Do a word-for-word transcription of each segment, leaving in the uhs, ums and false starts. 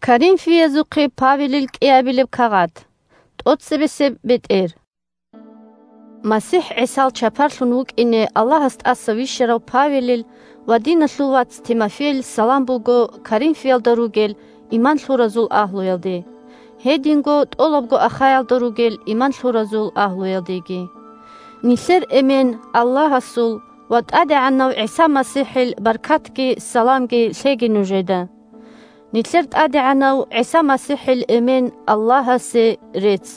Коринфиязухъе Павелил кӀиабилеб кагъат. ТӀоцебесеб бетӀер. МасихӀ ГӀисал чапарлъун вукӀине Аллагьас тӀаса вищарав Павелил ва диналъул вац Тимофейил салам буго Коринфиялда ругел иман лъуразул агьлуялде, гьединго тӀолабго Ахаялда ругел иман лъуразул агьлуялдеги. Нилъер эмен Аллагьасул ва ТӀадегӀанав ГӀиса МасихӀил баркатги саламги лъеги нужеда. Нилъер ТӀадегӀанав ГӀиса МасихӀил эмен Аллагьасе рецц.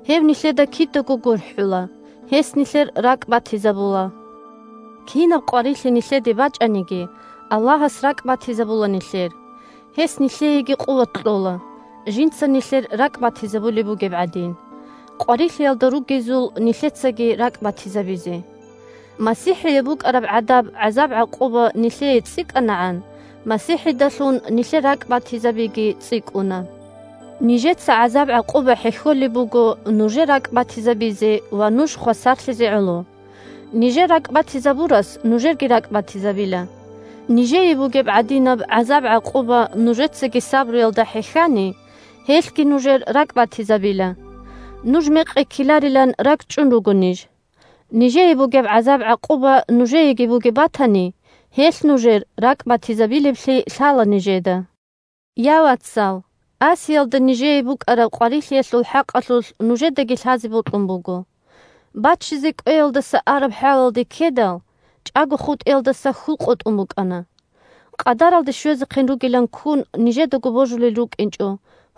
Гьев нилъеда кидаго гурхӀула, гьес нилъер ракӀ батизабула. Кинаб къварилъи нилъеде бачӀаниги, Аллагьас ракӀ батизабула нилъер. Гьес нилъееги къуват кьола, жинца нилъер ракӀ батизабулеб бугеб гӀадин, къварилъиялда ругезул нилъецаги ракӀ батизабизе. МасихӀияб букӀараб гӀадаб гӀазаб-гӀакъуба нилъее цӀикӀкӀанагӀан, МасихӀидалъун нилъер ракӀ батизабиги цӀикӀкӀуна. Нижеца гӀазаб-гӀакъуба хӀехьолеб буго нужер ракӀ батизабизе ва нуж хвасарлъизе гӀоло. Нижер ракӀ батизабурас нужерги ракӀ батизабила. Нижее бугеб гӀадинаб гӀазаб-гӀакъуба нужецаги сабруялда хӀехьани, гьелъги нужер ракӀ батизабила. Нуж мекъи ккеларилан ракӀчӀун руго ниж. Нижее бугеб гӀазаб-гӀакъуба нужееги бугеб батани, гьелъ нужер ракӀ батизабилеблъи лъала нижеда. Я, вацал, Асиялда нижее букӀараб къварилъиялъул хӀакъалъулъ нужедаги лъазе бокьун буго. Баччизе кӀвеялдаса араб хӀалалде ккедал, чӀаго хутӀиялдаса хьул къотӀун букӀана. Къадаралде щвезехъин ругилан ккун нижедаго божулел рукӀинчӀо,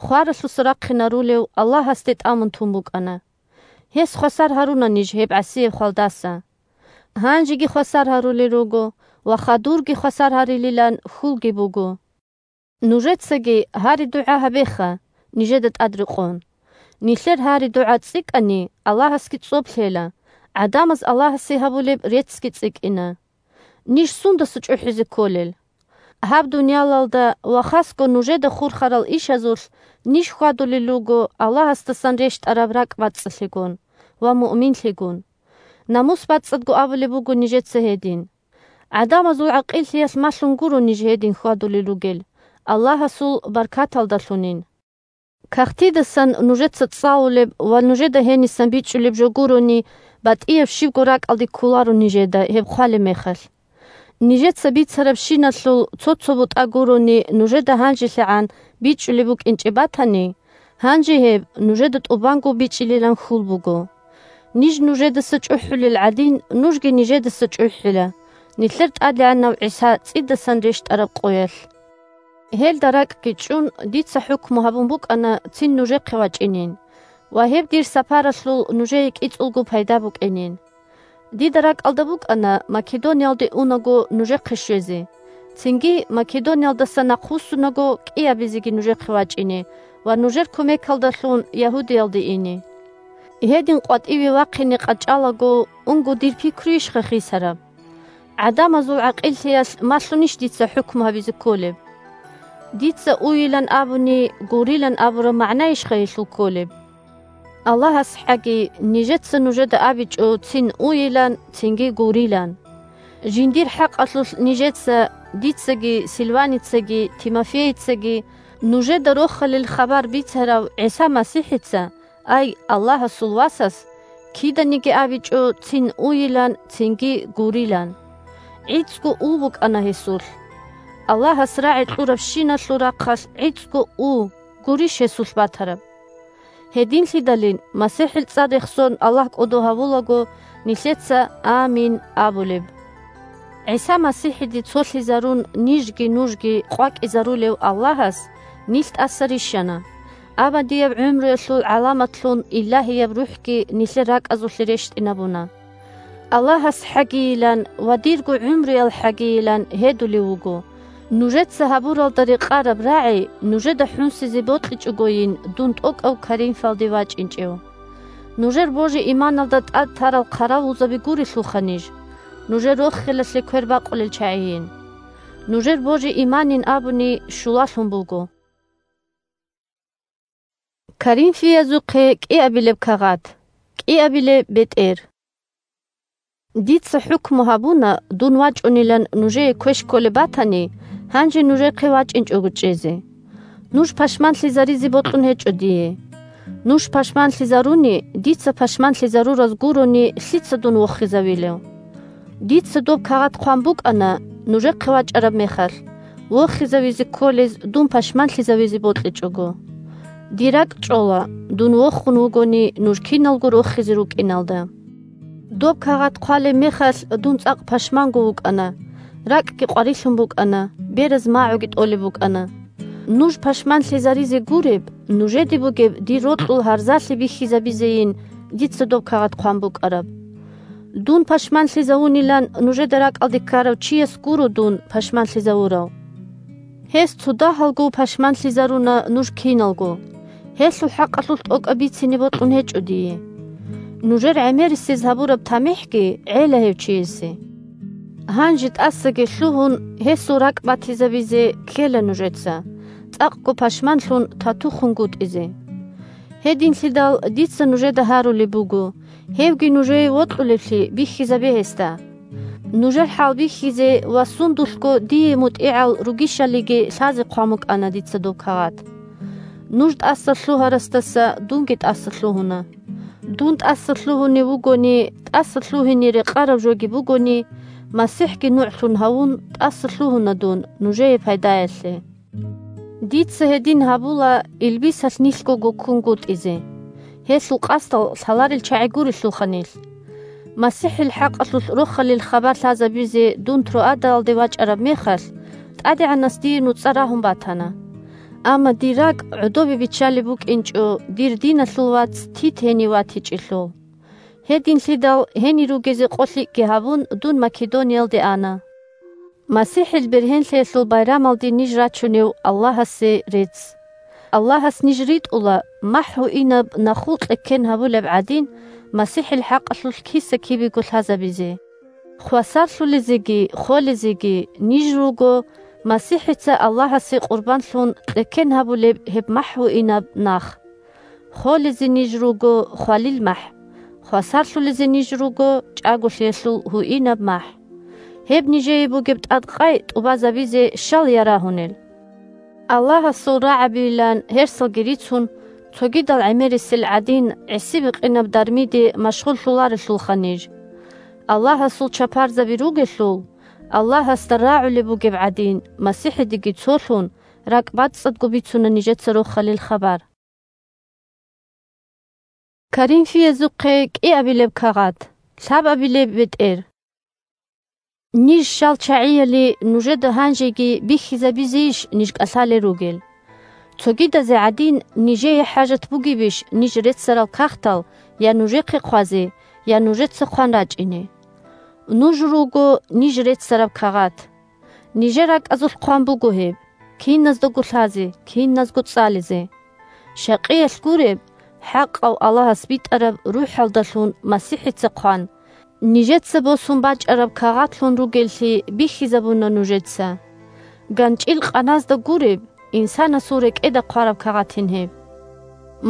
хваралъуса рахъинарулев Аллагьасде тӀамун тун букӀана. Гьес хвасар гьаруна ниж гьеб гӀасияб хвалдаса. Гьанжеги хвасар гьарулел руго ва хадурги хвасар гьарилилан хьулги буго. Нужецаги гьари-дугӀа гьабеха, нижеда тӀад рекъон. Нилъер гьари-дугӀа цӀикӀкӀани, Аллагьасги цӀоб лъела, гӀадамаз Аллагьасе гьабулеб реццги цӀикӀкӀина. Ниж сундаса чӀухӀизе кколел? Гьаб дуниялалда ва хасго нужеда хурхарал ишазулъ ниж хьвадулел руго Аллагьасдасан рещтӀараб ракӀ бацӀцӀалъигун ва муъминлъигун. Намус бацӀцӀадго абулеб буго нижеца гьедин. ГӀадамазул гӀакъиллъиялъ малъун гуро ниж гьедин хьвадулел ругел, Аллагьасул баркаталдалъунин. Кагътидасан нужеца цӀалулеб ва нужеда гьенисан бичӀчӀулеб жо гурони, батӀияб щибго ракӀалде кколаро нижеда гьеб хъвалеб мехалъ. Нижеца бицарабщиналъул цо-цо бутӀа гурони нужеда гьанжелъагӀан бичӀчӀулеб букӀинчӀеб батани, гьанже гьеб нужеда тӀубанго бичӀчӀилилан хьул буго. Ниж нужедаса чӀухӀулел гӀадин, нужги нижедаса чӀухӀила, нилъер ТӀадегӀанав ГӀиса цӀидасан рещтӀараб къоялъ. Гьелда ракӀги чӀун, дица хӀукму гьабун букӀана цин нужехъе вачӀинин ва гьеб дир сапаралъул нужее кӀицӀулго пайда букӀинин. Дида ракӀалда букӀана Македониялде унаго нужехъе щвезе, цинги Македониялдаса нахъвуссунаго кӀиабизеги нужехъе вачӀине ва нужер кумекалдалъун Ягьудиялде ине. Гьедин къватӀиве вахъине къачӀалаго, унго дир пикруйищха хисараб? ГӀадамазул гӀакъиллъиялъ малъунищ дица хӀукму гьабизе кколеб? Дица уйилан абуни, гурилан абураб магӀнайищха гьелъул кколеб? Аллагьасхъаги, нижеца нужеда абичӀо цин уйилан, цинги гурилан. Жиндир хӀакъалъулъ нижеца, дицаги, Силваницаги, Тимофейицаги, нужеда Рохалил хабар бицарав ГӀиса МасихӀица, ай, Аллагьасул Васас, киданиги абичӀо цин уйилан, цинги гурилан. ГӀицӀго у букӀана гьесулъ. Аллагьас рагӀи кьурабщиналъул рахъалъ гӀицӀго у гурищ гьесулъ батараб? Гьединлъидалин, МасихӀил цӀар рехсон Аллагь кӀодо гьавулаго нилъеца «Амин» абулеб. ГӀиса МасихӀиде цолъизарун нижги нужги къвакӀизарулев Аллагьас нилъ тӀаса рищана. Абадияб гӀумруялъул гӀаламатлъун Илагьияб РухӀги нилъер ракӀазулъе рещтӀинабуна. Аллагьас хӀагийилан ва дирго гӀумруял хӀагийилан гьедулев вуго. Нужеца гьабуралда рекъараб рагӀи нужеда хӀунсизе бокьичӀогойин дун тӀокӀав Коринфалде вачӀинчӀев. Нужер божи-иманалда тӀад тарал хъаравулзаби гурелъулха ниж, нужер рохелалъе квер бакъулел чагӀийин. Нужер божи-иманин абуни щулалъун буго. Коринфиязухъе кӀиабилеб кагъат. КӀиабилеб бетӀер. Дица хӀукму гьабуна, дун вачӀунилан нужее квеш кколеб батани, гьанже нужехъе вачӀинчӀого чӀезе. Нуж пашманлъизаризе бокьун гьечӀо дие. Нуж пашманлъизаруни, дица пашманлъизарураз гурони, лъица дун вохизавилев? Дица доб кагъат хъван букӀана, нужехъе вачӀараб мехалъ, вохизавизе кколез дун пашманлъизавизе бокьичӀого. Дир ракӀ чӀола, дун вохун вугони, нуж киналго рохизе рукӀиналда. Доб кагъат хъвалеб мехалъ дун цӀакъ пашманго вукӀана, ракӀги къварилъун букӀана, бераз магӀуги тӀолеб букӀана. Нуж пашманлъизаризе гуреб, нужеде бугеб дир рокьул гьарзалъи бихьизабизейин дица доб кагъат хъван букӀараб. Дун пашманлъизавунилан нужеда ракӀалде ккарав чияс гуро дун пашманлъизавурав. Гьес цо дагьалго пашманлъизаруна нуж киналго. Гьелъул хӀакъалъулъ тӀокӀаб бицине бокьун гьечӀо дие. Нужер гӀемерисез гьабураб тамихӀги гӀела гьев чиясе. Гьанже тӀасаги лъугьун, гьесул ракӀ батизабизе ккела нужеца, цӀакъго пашманлъун татухунгутӀизе. Гьединлъидал дица нужеда гьарулеб буго, гьевги нужее вокьулеблъи бихьизабе гьесда. Нужер хӀал бихьизе ва сундулъго дие мутӀигӀал ругищалиги лъазе хъван букӀана дица доб кагъат. Нуж тӀаса лъугьарасдаса дунги тӀаса лъугьуна. Дун тӀаса лъугьунев вугони, тӀаса лъугьине рекъараб жоги бугони, МасихӀги нугӀлъун гьавун, тӀаса лъугьуна дун нужее пайдаялъе. Дица гьедин гьабула илбисалъ нилъгого ккунгутӀизе. Гьелъул къасдал лъаларел чагӀи гурелъулха нилъ. МасихӀил хӀакъалъулъ рохалил хабар лъазабизе дун Троадаялде вачӀараб мехалъ, ТӀадегӀанас дие нуцӀа рагьун батана. Амма дир ракӀ гӀодобе биччалеб букӀинчӀо дир диналъул вац Тит гьенив ватичӀелъул. Гьединлъидал гьенир ругезе къо лъикӀги гьабун, дун Македониялде ана. МасихӀил бергьенлъиялъул байрамалде ниж рачунев Аллагьасе рецц. Аллагьас ниж ритӀула, махӀ гьуинаб нахул кьеккен гьабулеб гӀадин, МасихӀил хӀакъалъулъ киса-кибего лъазабизе. Хвасарлъулезеги холезеги ниж руго МасихӀица Аллагьасе къурбанлъун кьеккен гьабулеб гьеб махӀ гьуинаб нах. Холезе ниж руго хвалил махӀ, хвасарлъулезе ниж руго чӀаголъиялъул гьуинаб махӀ. Гьеб нижее бугеб тӀадкъай тӀубазабизе щал ярагьунел? Аллагьасул рагӀабийилан гьерсалги рицун, цогидал гӀемерисел гӀадин, гӀиси-бикъинаб дармиде машгъуллъуларелъулха ниж. Аллагьасул чапарзаби ругелъул, Аллагьасда рагӀулеб бугеб гӀадин, МасихӀидеги цолъун, ракӀбацӀцӀадго бицуна нижеца рохалил хабар. Коринфиязухъе кӀиабилеб кагъат, лъабабилеб бетӀер. Ниж щал чагӀияли нужеда гьанжеги бихьизабизейищ ниж кӀалъалел ругел? Цогидазе гӀадин, нижее хӀажат бугебищ ниж реццарал кагътал я нужехъе хъвазе, я нужеца хъван рачӀине? Нуж руго ниж реццараб кагъат. Нижер ракӀазулъ хъван буго гьеб, киназдаго лъазе, киназго цӀализе. Щакъиялъ гуреб, хӀакъав Аллагьас битӀараб РухӀалдалъун МасихӀица хъван, нижеца босун бачӀараб кагъатлъун ругеллъи бихьизабуна нужеца. ГанчӀил къаназда гуреб, инсанасул рекӀеда хъвараб кагъатин гьеб.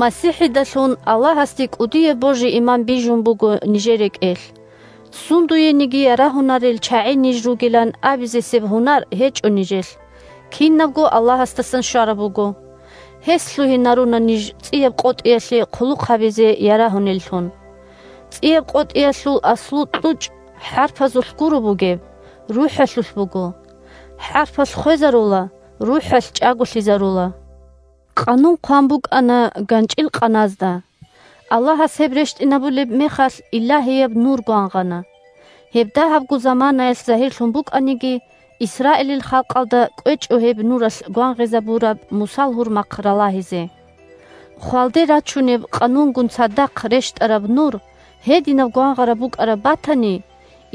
МасихӀидалъун Аллагьасде кӀудияб божи-иман бижун буго нижер рекӀелъ. Сундуениги ярагьунарел чагӀи ниж ругилан абизесеб гьунар гьечӀо нижелъ, кинабго Аллагьасдасан щвараб буго. Гьес лъугьинаруна ниж цӀияб къотӀиялъе хъулухъ гьабизе ярагьунеллъун. ЦӀияб къотӀиялъул аслу кьучӀ хӀарпазулъ гуро бугеб, рухӀалъулъ буго. ХӀарпалъ хвезарула, рухӀалъ чӀаголъизарула. Къанун хъван букӀана ганчӀил къаназда. Аллагьас гьеб рещтӀинабулеб мехалъ, илагьияб нур гвангъана. Гьеб дагьабго заманаялъ загьирлъун букӀаниги, Исраилил халкъалда кӀвечӀо гьеб нуралъ гвангъизабураб Мусал гьурмахъ ралагьизе. Хвалде рачунеб къанунгун цадахъ рещтӀараб нур гьединаб гвангъараб букӀараб батани,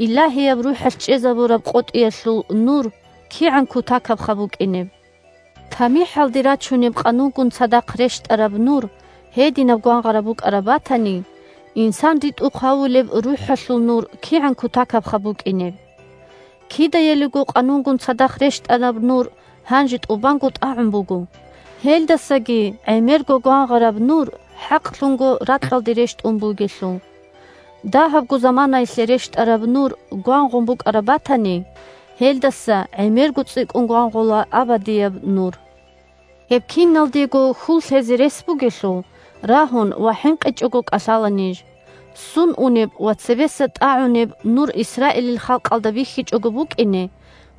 Илагьияб РухӀалъ чӀезабураб къотӀиялъул нур кигӀан кутакабха букӀинеб! ТамихӀалде рачунеб къанунгун цадахъ рещтӀараб нур гьединаб гвангъараб букӀараб батани, инсан ритӀухъ гьавулеб РухӀалъул нур кигӀан кутакабха букӀинеб! Кидаялиго къанунгун цадахъ рещтӀараб нур гьанже тӀубанго тӀагӀун буго. Гьелдасаги гӀемерго гвангъараб нур хӀакълъунго ракьалде рещтӀун бугелъул. Дагьабго заманаялъе рещтӀараб нур гвангъун букӀараб батани, гьелдаса гӀемерго цӀикӀкӀун гвангъула абадияб нур. Гьеб киналдего хьул лъезе рес бугелъул, рагьун ва хӀинкъичӀого кӀалъала ниж. Сун унеб ва цебеса тӀагӀунеб нур Исраилил халкъалда бихьичӀого букӀине,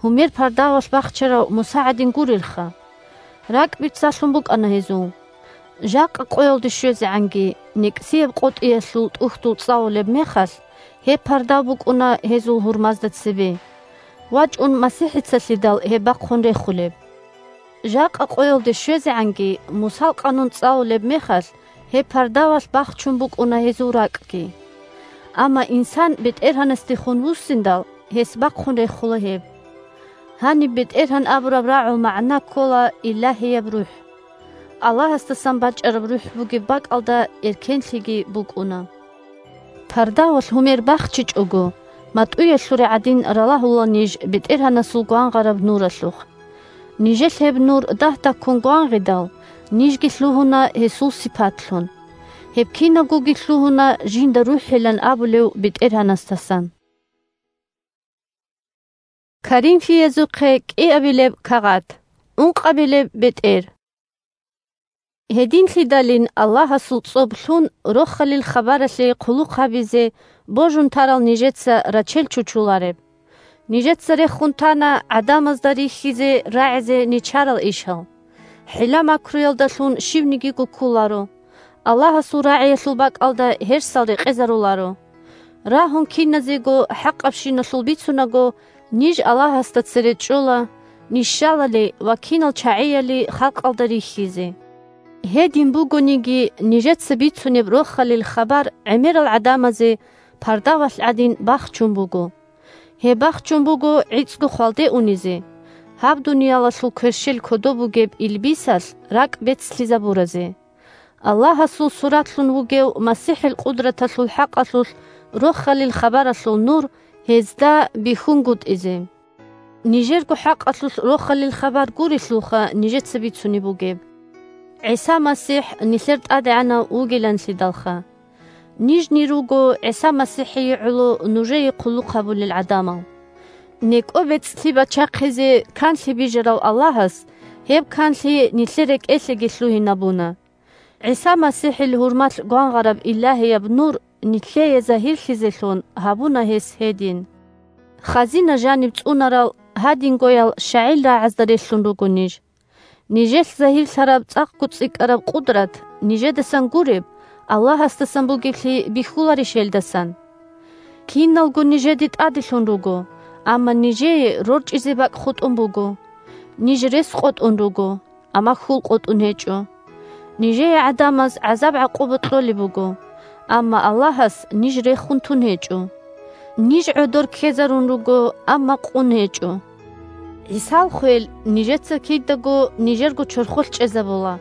гьумер пардавалъ бахчарав Муса гӀадин гурелха. РакӀ бицалъун букӀана гьезул. Жакъа къоялде щвезегӀанги, некӀсияб къотӀиялъул тӀухьдул цӀалулеб мехалъ, гьеб пардав букӀуна гьезул гьурмазда цебе. ВачӀун МасихӀицалъидал гьеб бахъун рехулеб. Жакъа къоялде щвезегӀанги, Мусал къанун цӀалулеб мехалъ, гьеб пардавалъ бахчун букӀуна гьезул ракӀги. Амма инсан БетӀергьанасдехун вуссиндал, гьес бахъун рехула гьеб. Гьаниб БетӀергьан абураб рагӀул магӀна ккола Илагьияб РухӀ. Аллагьасдасан бачӀараб РухӀ бугеб бакӀалда эркенлъиги букӀуна. Пардавалъ гьумер бахчичӀого, матӀуялъуре гӀадин ралагьула ниж БетӀергьанасул гвангъараб нуралъухъ. Нижелъ гьеб нур дагь-дагьккун гвангъидал, нижги лъугьуна гьесул сипатлъун. Гьеб кинабгоги лъугьуна жинда рухӀилан абулев БетӀергьанасдасан. Коринфиязухъе кӀиабилеб кагъат, ункъабилеб бетӀер. Гьединлъидалин Аллагьасул цӀоб лъун рохалил хабаралъе хъулухъ гьабизе божун тарал нижеца рачел чучулареб. Нижеца рехун тана гӀадамазда рихьизе рагӀизе нечарал ишал. ХӀила-макруялдалъун щивнигиго кколаро. Аллагьасул рагӀиялъул бакӀалда гьерсал рекъезаруларо. Рагьун киназего хӀакъабщиналъул бицунаго, ниж Аллагьасда цере чӀола, ниж щалали ва кинал чагӀияли халкъалда рихьизе. Гьедин бугониги, нижеца бицунеб рохалил хабар гӀемерал гӀадамазе пардавалъ гӀадин бахчун буго. Гьеб бахчун буго гӀицӀго хвалде унизе, гьаб дуниялалъул кверщел кодоб бугеб илбисалъ ракӀ бецлъизабуразе. Аллагьасул суратлъун вугев МасихӀил къудраталъул хӀакъалъулъ рохалил хабаралъул нур гьезда бихьунгутӀизе. Нижерго хӀакъалъулъ рохалил хабар гурелъулха нижеца бицунеб бугеб. ГӀиса МасихӀ нилъер ТӀадегӀанав вугиланлъидалха. Нижни руго ГӀиса МасихӀие гӀоло нужее хъулухъ гьабулел гӀадамал. НекӀо бецӀлъи бачахъизе канлъи бижарав Аллагьас гьеб канлъи нилъер рекӀелъеги лъугьинабуна. ГӀиса МасихӀил гьурмалъ гвангъараб Илагьияб нур нилъее загьирлъизелъун гьабуна гьес гьедин. Хазина жаниб цӀунарал гьадингоял щагӀил рагӀазда релълъун руго ниж. Нижелъ загьирлъараб цӀакъго цӀикӀкӀараб къудрат, нижедасан гуреб, Аллагьасдасан бугеблъи бихьуларищ гьелдасан? Киналго нижеде тӀаделъун руго, амма нижее рорчӀизе бакӀ хутӀун буго. Ниж рес къотӀун руго, амма хьул къотӀун гьечӀо. Нижее гӀадамаз гӀазаб-гӀакъуба кьолеб буго, амма Аллагьас ниж рехун тун гьечӀо. Ниж гӀодор ккезарун руго, амма къун гьечӀо. ГӀисал хвел нижеца кидаго нижерго чорхолъ чӀезабула,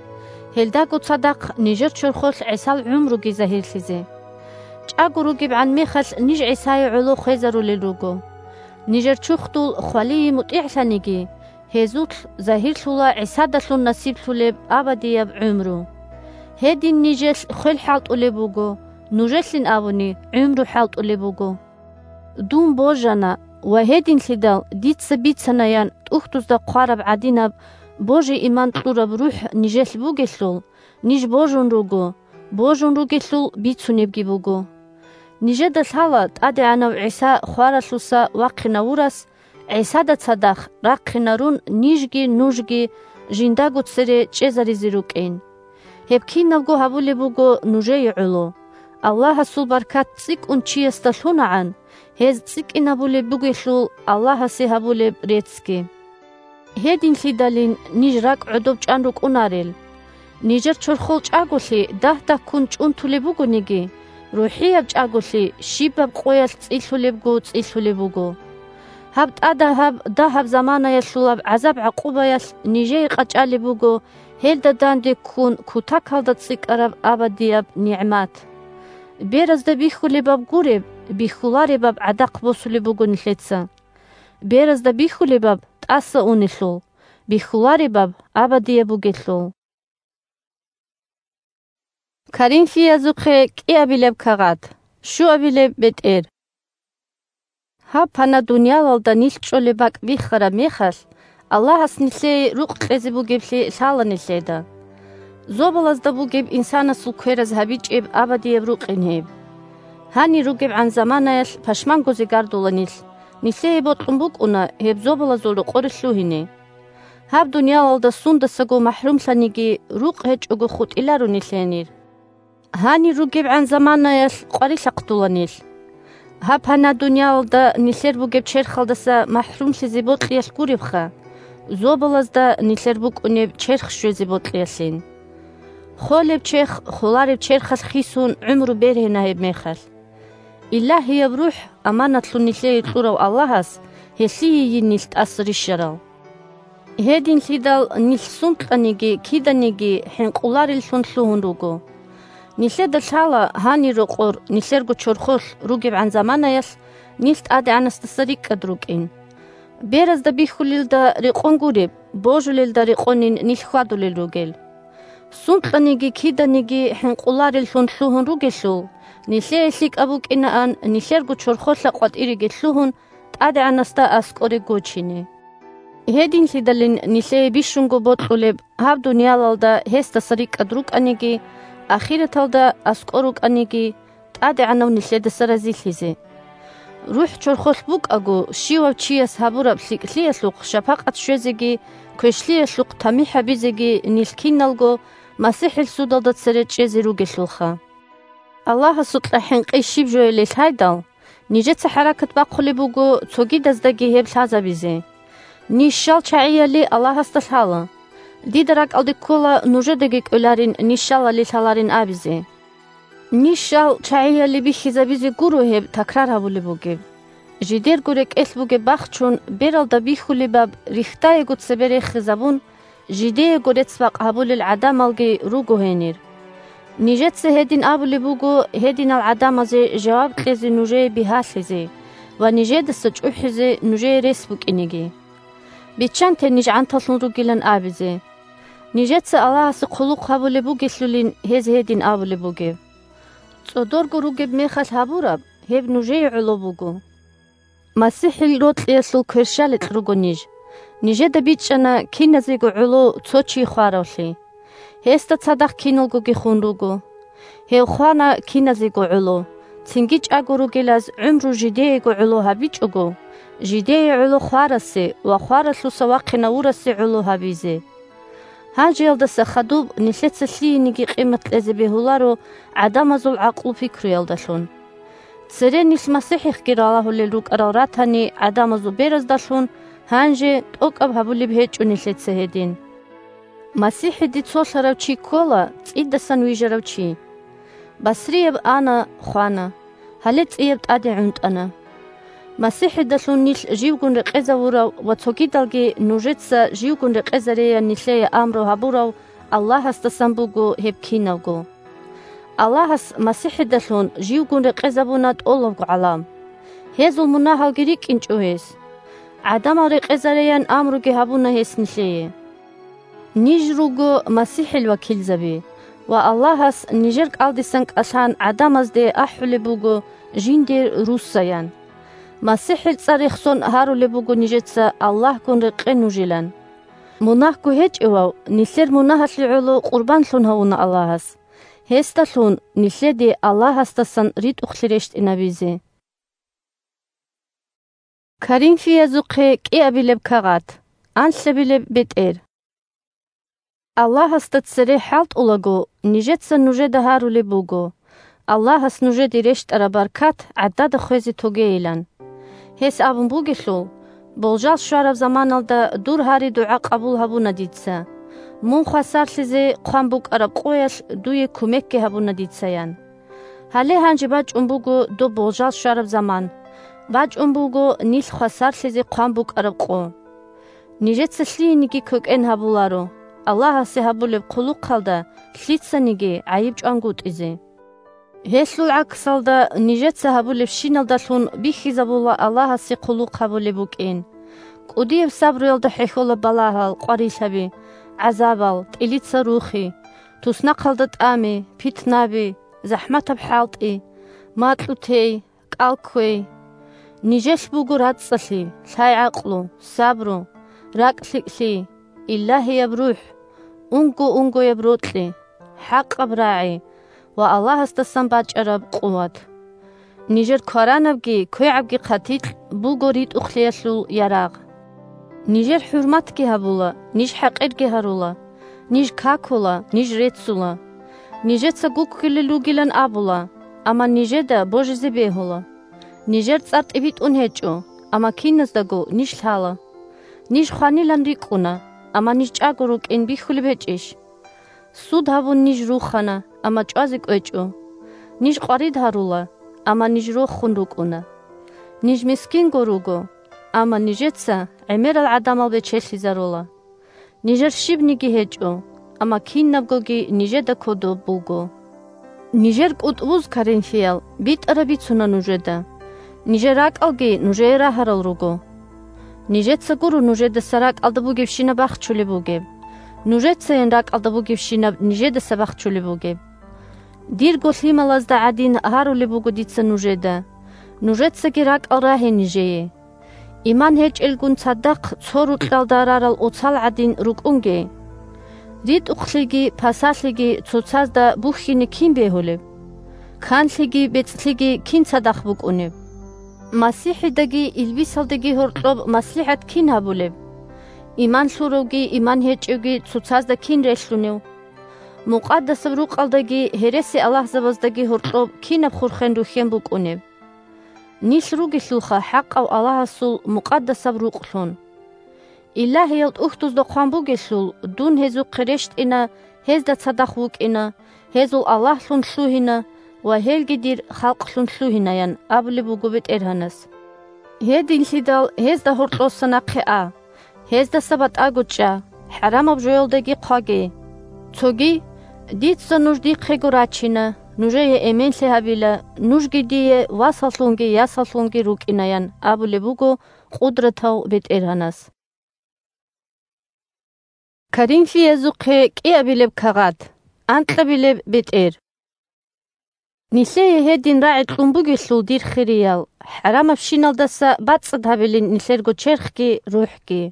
гьелдаго цадахъ нижер чорхолъ ГӀисал гӀумруги загьирлъизе. ЧӀаго ругебгӀан мехалъ ниж ГӀисае гӀоло хвезарулел руго. Нижер чурхдул хвалие мутӀигӀлъаниги, гьезулъ загьирлъула ГӀисадалъун насиблъулеб абадияб гӀумру. Гьедин нижелъ хвел хӀалтӀулеб буго, нужелъин абуни гӀумру хӀалтӀулеб буго. Дун божана ва гьединлъидал дица бицанаян тӀухьдузда хъвараб гӀадинаб божи-иман кьураб рухӀ нижелъ бугелъул, ниж божун руго, божун ругелъул бицунебги буго. Нижеда лъала ТӀадегӀанав ГӀиса хваралъуса вахъинавурас, ГӀисада цадахъ рахъинарун нижги нужги жиндаго цере чӀезаризе рукӀин. Гьеб кинабго гьабулеб буго нужее гӀоло. Аллагьасул баркат цӀикӀкӀун чиясда лъунагӀан, гьез цӀикӀкӀинабулеб бугелъул Аллагьасе гьабулеб реццги. Гьединлъидалин ниж ракӀ гӀодов чӀан рукӀунарел. Нижер чорхол чӀаголъи дагь-дагьккун чӀунтулеб бугониги, рухӀияб чӀаголъи щибаб къоялъ цӀилъулебго цӀилъулеб буго. Гьаб тӀадагьаб дагьаб заманаялъулаб гӀазаб-гӀакъубаялъ нижее къачӀалеб буго гьелда данде ккун кутакалда цӀикӀкӀараб абадияб нигӀмат. Беразда бихьулебаб гуреб, бихьуларебаб гӀадахъ босулеб буго нилъеца. Беразда бихьулебаб тӀаса унелъул, бихьуларебаб абадияб бугелъул. Коринфиязухъе кӀиабилеб кагъат, щуабилеб бетӀер. Гьаб пана дуниялалда нилъ чӀолеб бакӀ биххараб мехалъ, Аллагьас нилъее рукъ кьезе бугеблъи лъала нилъеда. Зобалазда бугеб инсанасул квераз гьабичӀеб абадияб рукъин гьеб. Гьанир ругебгӀан заманаялъ пашманго зигардула нилъ, нилъее бокьун букӀуна гьеб зобалазул рокъоре лъугьине. Гьаб дуниялалда сундасаго махӀрумлъаниги, рукъ гьечӀого хутӀиларо нилъенир. Гьанир ругебгӀан заманаялъ къварилъа хътула нилъ. Гьаб пана дуниялалда нилъер бугеб черхалдаса махӀрумлъизе бокьиялъ гуребха, зобалазда нилъер букӀунеб черх щвезе бокьиялъин. Холеб черх холареб черхалъ хисун гӀумру бергьина гьеб мехалъ. Илагьияб РухӀ аманатлъун нилъее кьурав Аллагьас гьелъийейин нилъ тӀаса рищарал. Гьединлъидал нилъ сункьаниги киданиги хӀинкъулареллъун лъугьун руго. Нилъеда лъала гьанир рокъор нилъерго чорхолъ ругебгӀан заманаялъ нилъ ТӀадегӀанасдаса рикӀкӀад рукӀин. Беразда бихьулелда рекъон гуреб, божулелда рекъонин нилъ хьвадулел ругел. Сункьаниги киданиги хӀинкъулареллъун лъугьун ругелъул, нилъее лъикӀаб букӀинаан нилъерго чорхолъа къватӀиреги лъугьун, ТӀадегӀанасда аскӀоре гочине. Гьединлъидалин нилъее бищунго бокьулеб гьаб дуниялалда гьесдаса рикӀкӀад рукӀаниги, ахираталда аскӀор рукӀаниги, ТӀадегӀанав нилъедаса разилъизе. РухӀ чорхолъ букӀаго, щивав чияс гьабураб лъикӀлъиялъухъ шапакъат щвезеги, квешлъиялъухъ тамихӀ гьабизеги нилъ киналго МасихӀил судалда цере чӀезе ругелъулха. Аллагьасукьа хӀинкъи щиб жоялил гьайдал, нижеца хӀаракат бахъулеб буго цогидаздаги гьеб лъазабизе. Ниж щал чагӀияли Аллагьасда лъала. Дида ракӀалде ккола нужедаги кӀоларин ниж щалали лъаларин абизе. Ниж щал чагӀияли бихьизабизе гуро гьеб такрар гьабулеб бугеб. Жидерго рекӀелъ бугеб бахчун бералда бихьулебаб рихьдаего цебе рехизабун, жидеего рецц-бакъ гьабулел гӀадамалги руго гьенир. Нижеца гьедин абулеб буго гьединал гӀадамазе жаваб кьезе нужее бигьалъизе ва нижедаса чӀухӀизе нужее рес букӀинеги. Биччанте ниж гӀанталъун ругилан абизе. Нижеца Аллагьасе хъулухъ гьабулеб бугелъулин гьез гьедин абулеб бугеб. ЦӀодорго ругеб мехалъ гьабураб, гьеб нужее гӀоло буго. МасихӀил рокьиялъул кверщаликь руго ниж. Нижеда бичӀчӀана киназего гӀоло цо чи хваравлъи. Гьесда цадахъ киналгоги хун руго. Гьев хвана киназего гӀоло, цинги чӀаго ругелаз гӀумру жидеего гӀоло гьабичӀого, жидее гӀоло хварасе ва хваралъуса вахъинавурасе гӀоло гьабизе. Гьанжеялдаса хадуб нилъеца лъиениги къимат кьезе бегьуларо гӀадамазул гӀакълу-пикруялдалъун. Цере нилъ МасихӀихъги ралагьулел рукӀарал ратани гӀадамазул бераздалъун, гьанже тӀокӀаб гьабулеб гьечӀо нилъеца гьедин. МасихӀиде цолъарав чи ккола цӀидасан вижарав чи. Басрияб ана, хвана, гьале цӀияб тӀаде гӀунтӀана. МасихӀидалъун нилъ живгун рекъезавурав ва цогидалги нужеца живгун рекъезареян нилъее амру гьабурав Аллагьасдасан буго гьеб киналго. Аллагьас МасихӀидалъун живгун рекъезабуна тӀолабго гӀалам. Гьезул мунагьалги рикӀкӀинчӀо гьес. ГӀадамал рекъезареян амруги гьабуна гьес нилъее. Ниж руго МасихӀил вакилзаби, ва Аллагьас нижер кӀалдисан кӀалъан гӀадамазде ахӀулеб буго жиндир руссаян. МасихӀил цӀар рехсон гьарулеб буго нижеца Аллагьгун рекъе нужилан. Мунагьго гьечӀевав нилъер мунагьалъе гӀоло къурбанлъун гьавуна Аллагьас. Гьесдалъун нилъеде Аллагьасдасан ритӀухълъи рещтӀинабизе. Коринфиязухъе кӀиабилеб кагъат, анлъабилеб бетӀер. Аллагьасда цере хӀалтӀулаго, нижеца нужеда гьарулеб буго, Аллагьас нужеде рещтӀараб баркат гӀадада хвезе тогейилан. Гьес абун бугелъул: «Болжал щвараб заманалда дур гьари-дугӀа къабул гьабуна дица. Мун хвасарлъизе хъван букӀараб къоялъ дуе кумекги гьабуна дица», – ян. Гьале гьанже бачӀун буго доб болжал щвараб заман, бачӀун буго нилъ хвасарлъизе хъван букӀараб къо. Нижеца лъиениги квекӀен гьабуларо, Аллагьасе гьабулеб хъулухъалда лъицаниги гӀайиб чӀвангутӀизе. Гьелъул гӀаксалда, нижеца гьабулебщиналдалъун бихьизабула Аллагьасе хъулухъ гьабулеб букӀин. КӀудияб сабруялда хӀехьола балагьал, къварилъаби, гӀазабал, тӀилица рухи, туснахъалда тӀами, питнаби, захӀматаб хӀалтӀи, макьу тей, кӀал кквей. Нижелъ буго рацӀцӀалъи, лъай-гӀакълу, сабру, ракӀ-лъикӀлъи, Илагьияб РухӀ, унго-унгояб рокьи, хӀакъаб рагӀи ва Аллагьасдасан бачӀараб къуват. Нижер кваранабги квегӀабги хъатикь буго ритӀухълъиялъул ярагъ. Нижер хӀурматги гьабула, ниж хӀакъирги гьарула, ниж какула, ниж реццула. Нижеца гуккулел ругилан абула, амма нижеда божизе бегьула. Нижер цӀар тӀибитӀун гьечӀо, амма киназдаго ниж лъала. Ниж хванилан рикӀкӀуна, амма ниж чӀаго рукӀин бихьулеб гьечӀищ? Суд гьабун ниж рухана, амма чӀвазе кӀвечӀо. Ниж къварид гьарула, амма ниж рохун рукӀуна. Ниж мискинго руго, амма нижеца гӀемерал гӀадамал бечелъизарула. Нижер щибниги гьечӀо, амма кинабгоги нижеда кодоб буго. Нижер кӀутӀбуз, коринфиял, битӀараб бицуна нужеда. Нижер ракӀалги нужее рагьарал руго. Нижеца гуро нужедаса ракӀалда бугебщинаб бахчулеб бугеб. Нужецайин ракӀалда бугебщинаб нижедаса бахчулеб бугеб. Дирго лъималазда гӀадин гьарулеб буго дица нужеда. Нужецаги ракӀал рагье нижее. Иман гьечӀелгун цадахъ цо рукьалда рарал оцал гӀадин рукӀунге. РитӀухълъиги пасалъиги цоцазда бухьине кин бегьулеб? Канлъиги бецӀлъиги кин цадахъ букӀунеб? МасихӀидаги илбисалдаги гьоркьоб маслихӀат кин гьабулеб? Иман лъуравги иман гьечӀевги цоцазда кин релълъунев? Мукъадасаб рукъалдаги гьереси-аллагьзабаздаги гьоркьоб кинаб хурхен рухьен букӀунеб? Нилъ ругелъулха хӀакъав Аллагьасул мукъадасаб рукълъун. Илагьиял тӀухьдузда хъван бугелъул, дун гьезухъе рещтӀина, гьезда цадахъ вукӀина, гьезул Аллагьлъун лъугьина ва гьелги дир халкълъун лъугьинаян абулеб буго БетӀергьанас. Гьединлъидал гьезда гьоркьоса нахъе а, гьездаса батӀаго чӀа, хӀарамаб жоялдаги хъваге. Цоги: «Дица нуж дихъего рачина, нужее эменлъи гьабила, нужги дие васаллъунги ясаллъунги рукӀинаян», абулеб буго Къудратав БетӀергьанас. Коринфиязухъе кӀиабилеб кагъат, анкьабилеб бетӀер. Нилъее гьедин рагӀи кьун бугелъул, дир хириял, хӀарамабщиналдаса бацӀцӀад гьабилин нилъерго черхги рухӀги.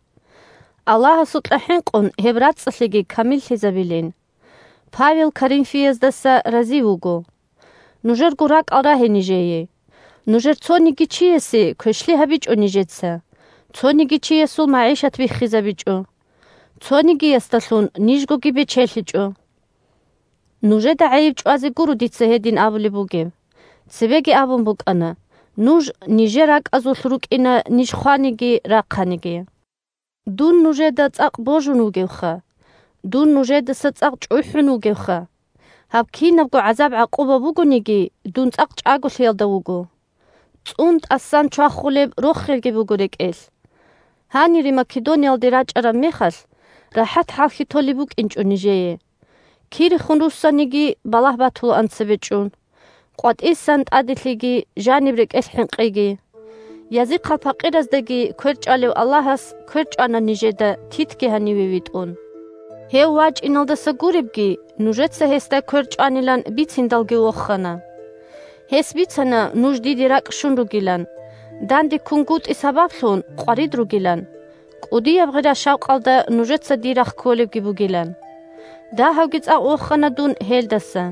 Аллагьасукьа хӀинкъун гьеб рацӀцӀалъиги камиллъизабилин. Павел Коринфияздаса рази вуго. Нужерго ракӀал рагье нижее. Нужер цониги чиясе квешлъи гьабичӀо нижеца, цониги чиясул магӀишат биххизабичӀо. Цонигиясдалъун нижгоги бечелъичӀо. Нужеда гӀайиб чӀвазе гуро дица гьедин абулеб бугеб. Цебеги абун букӀана, нуж нижер ракӀазулъ рукӀина ниж хваниги рахъаниги. Дун нужеда цӀакъ божун вугевха, дун нужедаса цӀакъ чӀухӀун вугевха. Гьаб кинабго гӀазаб-гӀакъуба бугониги, дун цӀакъ чӀаголъиялда вуго. ЦӀун тӀасан чвахулеб рохелги буго рекӀелъ. Гьанире Македониялде рачӀараб мехалъ, рахӀат хӀалхьи толеб букӀинчӀо нижее. Кирехун руссаниги, балагь батулаан цебе чӀун. КъватӀисан тӀаделъиги, жаниб рекӀелъ хӀинкъиги. Язихъал пакъираздаги кверчӀвалев Аллагьас кверчӀвана нижеда Титги гьаниве витӀун. Гьев вачӀиналдаса гуребги, нужеца гьесда кверчӀванилан бициндалги вохана. Гьес бицана нуж диде ракӀ щун ругилан, данде ккунгутӀи сабаблъун къварид ругилан, кӀудияб гъира-шавкъалда нужеца дир рахъ кколебги бугилан. Дагьавги цӀакъ вохана дун гьелдаса.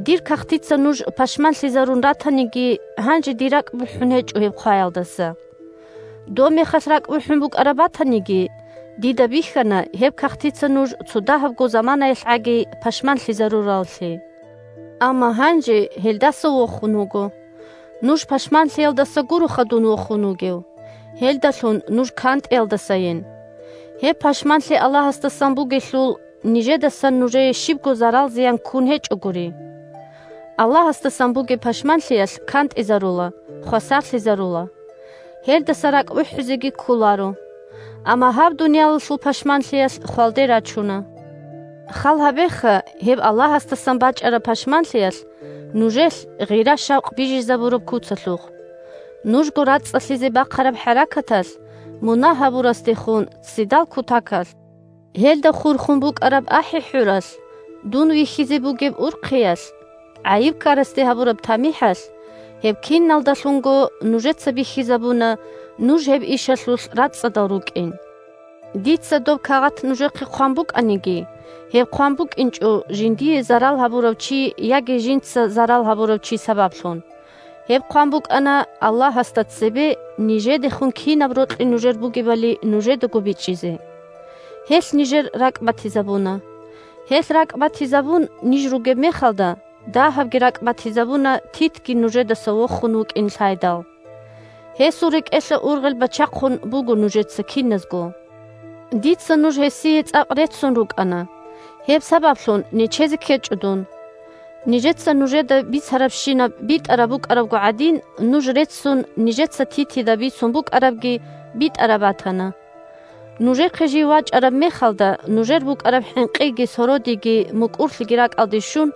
Дир кагътица нуж пашманлъизарун ратаниги, гьанже дир ракӀ бухӀун гьечӀо гьеб хъваялдаса. Доб мехалъ ракӀ бухӀун букӀараб батаниги, дида бихьана гьеб кагътица нуж цо дагьабго заманаялъ гӀаги пашманлъизарураллъи. Амма гьанже гьелдаса вохун вуго. Нуж пашманлъиялдаса гуроха дун вохун вугев, гьелдалъун нуж кантӀиялдасайин. Гьеб пашманлъи Аллагьасдасан бугелъул, нижедасан нужее щибго зарал-зиян ккун гьечӀогури. Аллагьасдасан бугеб пашманлъиялъ кантӀизарула, хвасарлъизарула. Гьелдаса ракӀ бухӀизеги кколаро. Амма гьаб дуниялалъул пашманлъиялъ хвалде рачуна. Хал гьабеха, гьеб Аллагьасдасан бачӀараб пашманлъиялъ нужелъ гъира-шавкъ бижизабураб куцалъухъ. Нужго рацӀцӀалъизе бахъараб хӀаракаталъ, мунагь гьабурасдехун ццидал кутакалъ, гьелда хурхун букӀараб ахӀи-хӀуралъ, дун вихьизе бугеб урхъиялъ, гӀайиб ккарасде гьабураб тамихӀалъ, гьеб киналдалъунго нужеца бихьизабуна нуж гьеб ишалъулъ рацӀцӀадал рукӀин. Дица доб кагъат нужехъе хъван букӀаниги, гьеб хъван букӀинчӀо жиндие зарал гьабурав чи яги жинца зарал гьабурав чи сабаблъун. Гьеб хъван букӀана Аллагьасда цебе, нижедехун кинаб рокьи нужер бугебали нужедаго бичӀчӀизе. Гьелъ нижер ракӀ батизабуна. Гьелъ ракӀ батизабун ниж ругеб мехалда, дагьабги ракӀ батизабуна Титги нужедаса вохун вукӀин лъайдал. Гьесул рекӀелъа ургъел бачахъун буго нужеца киназго. Дица нуж гьесие цӀакъ реццун рукӀана. Гьеб сабаблъун нечезе ккечӀо дун. Нижеца нужеда бицарабщинаб битӀараб букӀарабго гӀадин, нуж реццун нижеца Титида бицун букӀарабги битӀараб батана. Нужехъе жив вачӀараб мехалда, нужер букӀараб хӀинкъиги сородиги мукӀурлъиги ракӀалде щун,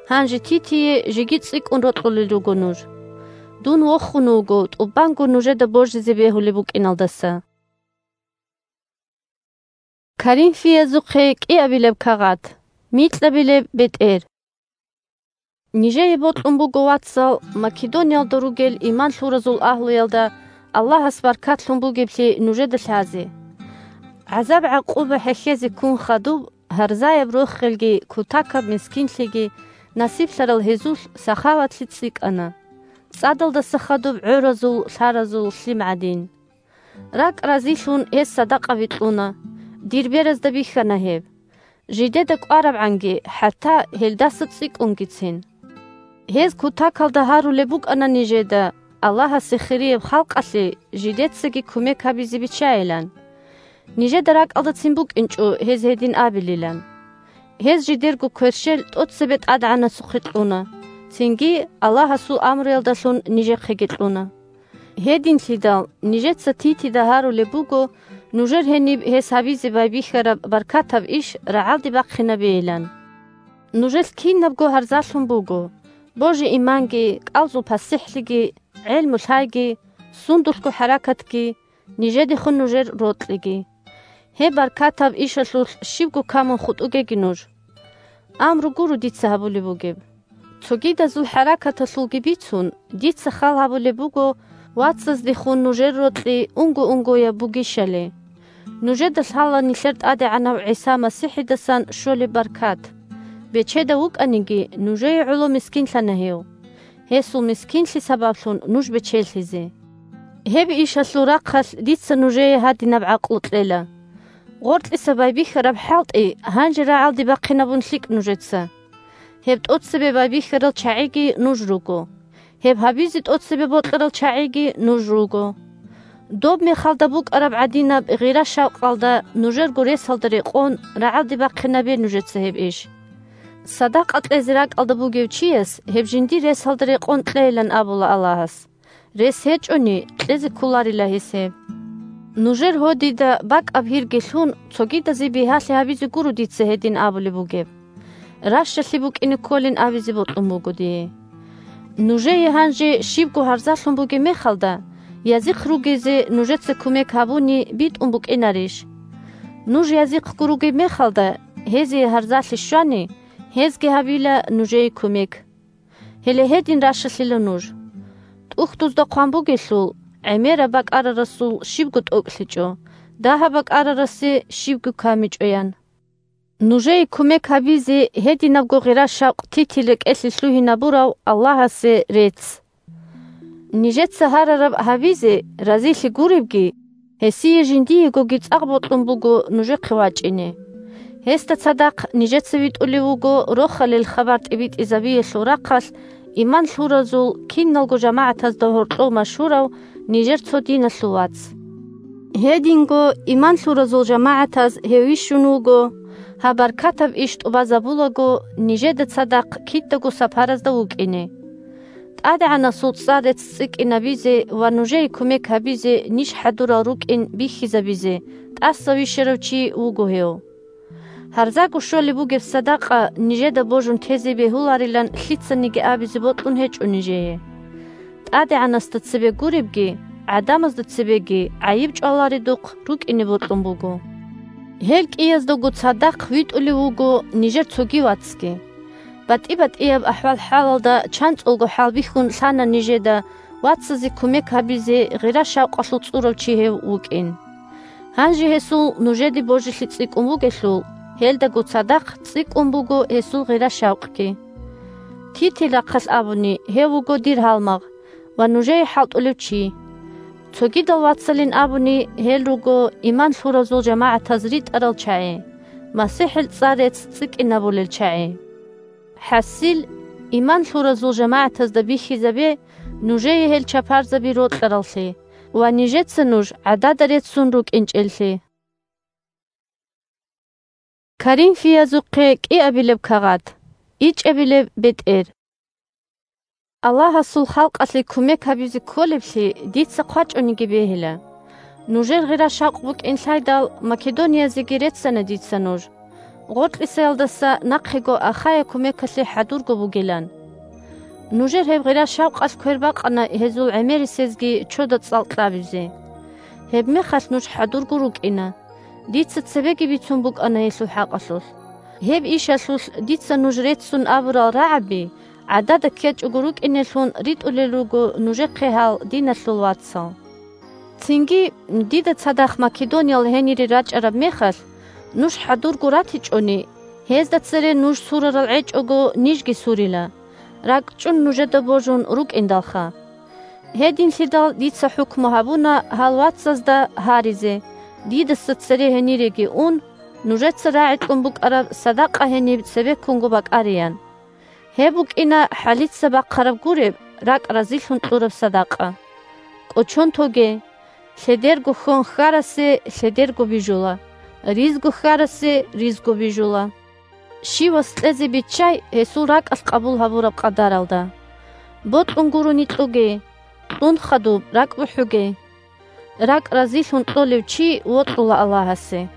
гьанже Титие жеги цӀикӀкӀун рокьулел руго нуж. Дун вохун вуго, тӀубанго нужеда божизе бегьулеб букӀиналдаса. Коринфиязухъе кӀиабилеб кагъат, микьабилеб бетӀер. Нижее бокьун буго, вацал, Македониялда ругел иман лъуразул агьлуялда Аллагьас баркатлъун бугеблъи нужеда лъазе. ГӀазаб-гӀакъуба хӀехьезе ккун хадуб, гьарзаяб рохелги, кутакаб мискинлъиги насиблъарал гьезулъ сахаватлъи цӀикӀкӀана, цӀадалдаса хадуб гӀоразул, лъаразул лъим гӀадин. РакӀ разилъун гьез садакъаби кьуна. Дир беразда бихьана гьеб. Жидеда кӀварабгӀанги, хӀатта гьелдаса цӀикӀкӀунгицин. Гьез кутакалда гьарулеб букӀана нижеда, Аллагьасе хирияб халкъалъе жидецаги кумек гьабизе биччайилан. Нижеда ракӀалдацин букӀинчӀо гьез гьедин абилилан. Гьез жидерго кверщел тӀоцебе ТӀадегӀанасухъе кьуна, цинги Аллагьасул амруялдалъун нижехъеги кьуна. Гьединлъидал нижеца Титида гьарулеб буго, нужер гьениб гьес гьабизе байбихьараб баркатаб иш рагӀалде бахъинабейилан. Нужелъ кинабго гьарзалъун буго: божи-иманги, кӀалзул пасихӀлъиги, гӀелму-лъайги, сундулъго хӀаракатги, нижедехун нужер рокьиги. Гьеб баркатаб ишалъулъ щибго камун хутӀугеги нуж. Амру гуро дица гьабулеб бугеб. Цогидазул хӀаракаталъулги бицун, дица хал гьабулеб буго вацаздехун нужер рокьи унго-унгояб бугищали. Нужеда лъала нилъер ТӀадегӀанав ГӀиса МасихӀидасан щолеб баркат. Бечедав вукӀаниги, нужее гӀоло мискинлъана гьев. Гьесул мискинлъи сабаблъун нуж бечелъизе. Гьеб ишалъул рахъалъ дица нужее гьадинаб гӀакълу кьела. Гъоркьиса байбихьараб хӀалтӀи гьанже рагӀалде бахъинабун лъикӀ нужеца. Гьеб тӀоцебе байбихьарал чагӀиги нуж руго. Гьеб гьабизе тӀоцебе бокьарал чагӀиги нуж руго. Доб мехалда букӀараб гӀадинаб гъира-шавкъалда нужерго ресалда рекъон рагӀалде бахъинабе нужеца гьеб иш. Садакъа кьезе ракӀалда бугев чияс гьеб жиндир ресалда рекъон кьейилан абула Аллагьас. Рес гьечӀони, кьезе кколарила гьес гьеб. Нужер гьодида бакӀаб гьирги лъун, цогидазе бигьалъи гьабизе гуро дица гьедин абулеб бугеб. Ращалъи букӀине кколин абизе бокьун буго дие. Нужее гьанже щибго гьарзалъун бугеб мехалда, язихъ ругезе нужеца кумек гьабуни битӀун букӀинарищ? Нуж язихъго ругеб мехалда, гьезие гьарзалъи щвани, гьезги гьабила нужее кумек. Гьеле гьедин ращалъила нуж. ТӀухьдузда хъван бугелъул: «ГӀемераб бакӀарарасул щибго тӀокӀлъичӀо, дагьаб бакӀарарасе щибго камичӀо», – ян. Нужее кумек гьабизе гьединабго гъира-шавкъ Титил рекӀелъе лъугьинабурав Аллагьасе рецц. Нижеца гьарараб гьабизе разилъи гуребги, гьесие жиндиегоги цӀакъ бокьун буго нужехъе вачӀине. Гьесда цадахъ нижеца витӀулев вуго Рохалил хабар тӀибитӀизабиялъул рахъалъ иман лъуразул киналго жамагӀатазда гьоркьов машгьурав нижер цо диналъул вац. Гьединго иман лъуразул жамагӀатаз гьев вищун вуго, гьаб баркатаб иш тӀубазабулаго, нижеда цадахъ кидаго сапаразда вукӀине. ТӀадегӀанасул цӀар рецц цӀикӀкӀинабизе ва нужее кумек гьабизе ниж хӀадурал рукӀин бихьизабизе тӀаса вищарав чи вуго гьев. Гьарзаго щолеб бугеб садакъа нижеда божун тезе бегьуларилан лъицаниги абизе бокьун гьечӀо нижее. ТӀадегӀанасда цебе гуребги, гӀадамазда цебеги гӀайиб чӀваларедухъ рукӀине бокьун буго. Гьел кӀияздаго цадахъ витӀулев вуго нижер цоги вацги. БатӀи-батӀияб ахӀвал-хӀалалда чанцӀулго хӀалбихьун лъана нижеда вацазе кумек гьабизе гъира-шавкъалъул цӀурав чи гьев вукӀин. Гьанже гьесул нужеде божилъи цӀикӀкӀун бугелъул, гьелдаго цадахъ цӀикӀкӀун буго гьесул гъира-шавкъги. Титил рахъалъ абуни, гьев вуго дир гьалмагъ ва нужее хӀалтӀулев чи. Цогидал вацалин абуни, гьел руго иман лъуразул жамагӀатаз ритӀарал чагӀи, МасихӀил цӀар рецц цӀикӀкӀинабулел чагӀи. ХӀасил, иман лъуразул жамагӀатазда бихьизабе нужее гьел чапарзаби рокьараллъи ва нижеца нуж гӀадада реццун рукӀинчӀеллъи. Коринфиязухъе кӀиабилеб кагъат, ичӀабилеб бетӀер. Аллагьасул халкъалъе кумек гьабизе кколеблъи дица хъвачӀониги бегьила. Нужер гъира-шавкъ букӀин лъайдал, Македониязеги реццана дица нуж. Гъоркьисаялдаса нахъего Ахая кумекалъе хӀадурго бугилан. Нужер гьеб гъира-шавкъалъ квер бакъана гьезул гӀемерисезги чода цӀал кьабизе. Гьебмехалъ нуж хӀадурго рукӀина. Дица цебеги бицун букӀана гьелъул хӀакъалъулъ. Гьеб ишалъулъ дица нуж реццун абурал рагӀаби гӀадада ккечӀого рукӀинеллъун ритӀулел руго нужехъе гьал, диналъул вацал. Цинги, дида цадахъ Македониял гьенире рачӀараб мехалъ, нуж хӀадурго ратичӀони, гьезда цере нуж сурарал гӀечӀого нижги сурила, ракӀчӀун нужеда божун рукӀиндалха. Гьединлъидал дица хӀукму гьабуна гьал вацазда гьаризе, дидаса цере гьениреги ун, нужеца рагӀи кьун букӀараб садакъа гьениб цебеккунго бакӀариян. Гьеб букӀина хӀалица бахъараб гуреб, ракӀ разилъун кьураб садакъа. КӀочон тоге, лъедерго хьон хьарасе лъедерго бижула, ризго хьарасе ризго бижула. Щивас кьезе биччай гьесул ракӀалъ къабул гьабураб къадаралда. Бокьун гурони кьуге, кьун хадуб ракӀ бухӀуге. РакӀ разилъун кьолев чи вокьула Аллагьасе.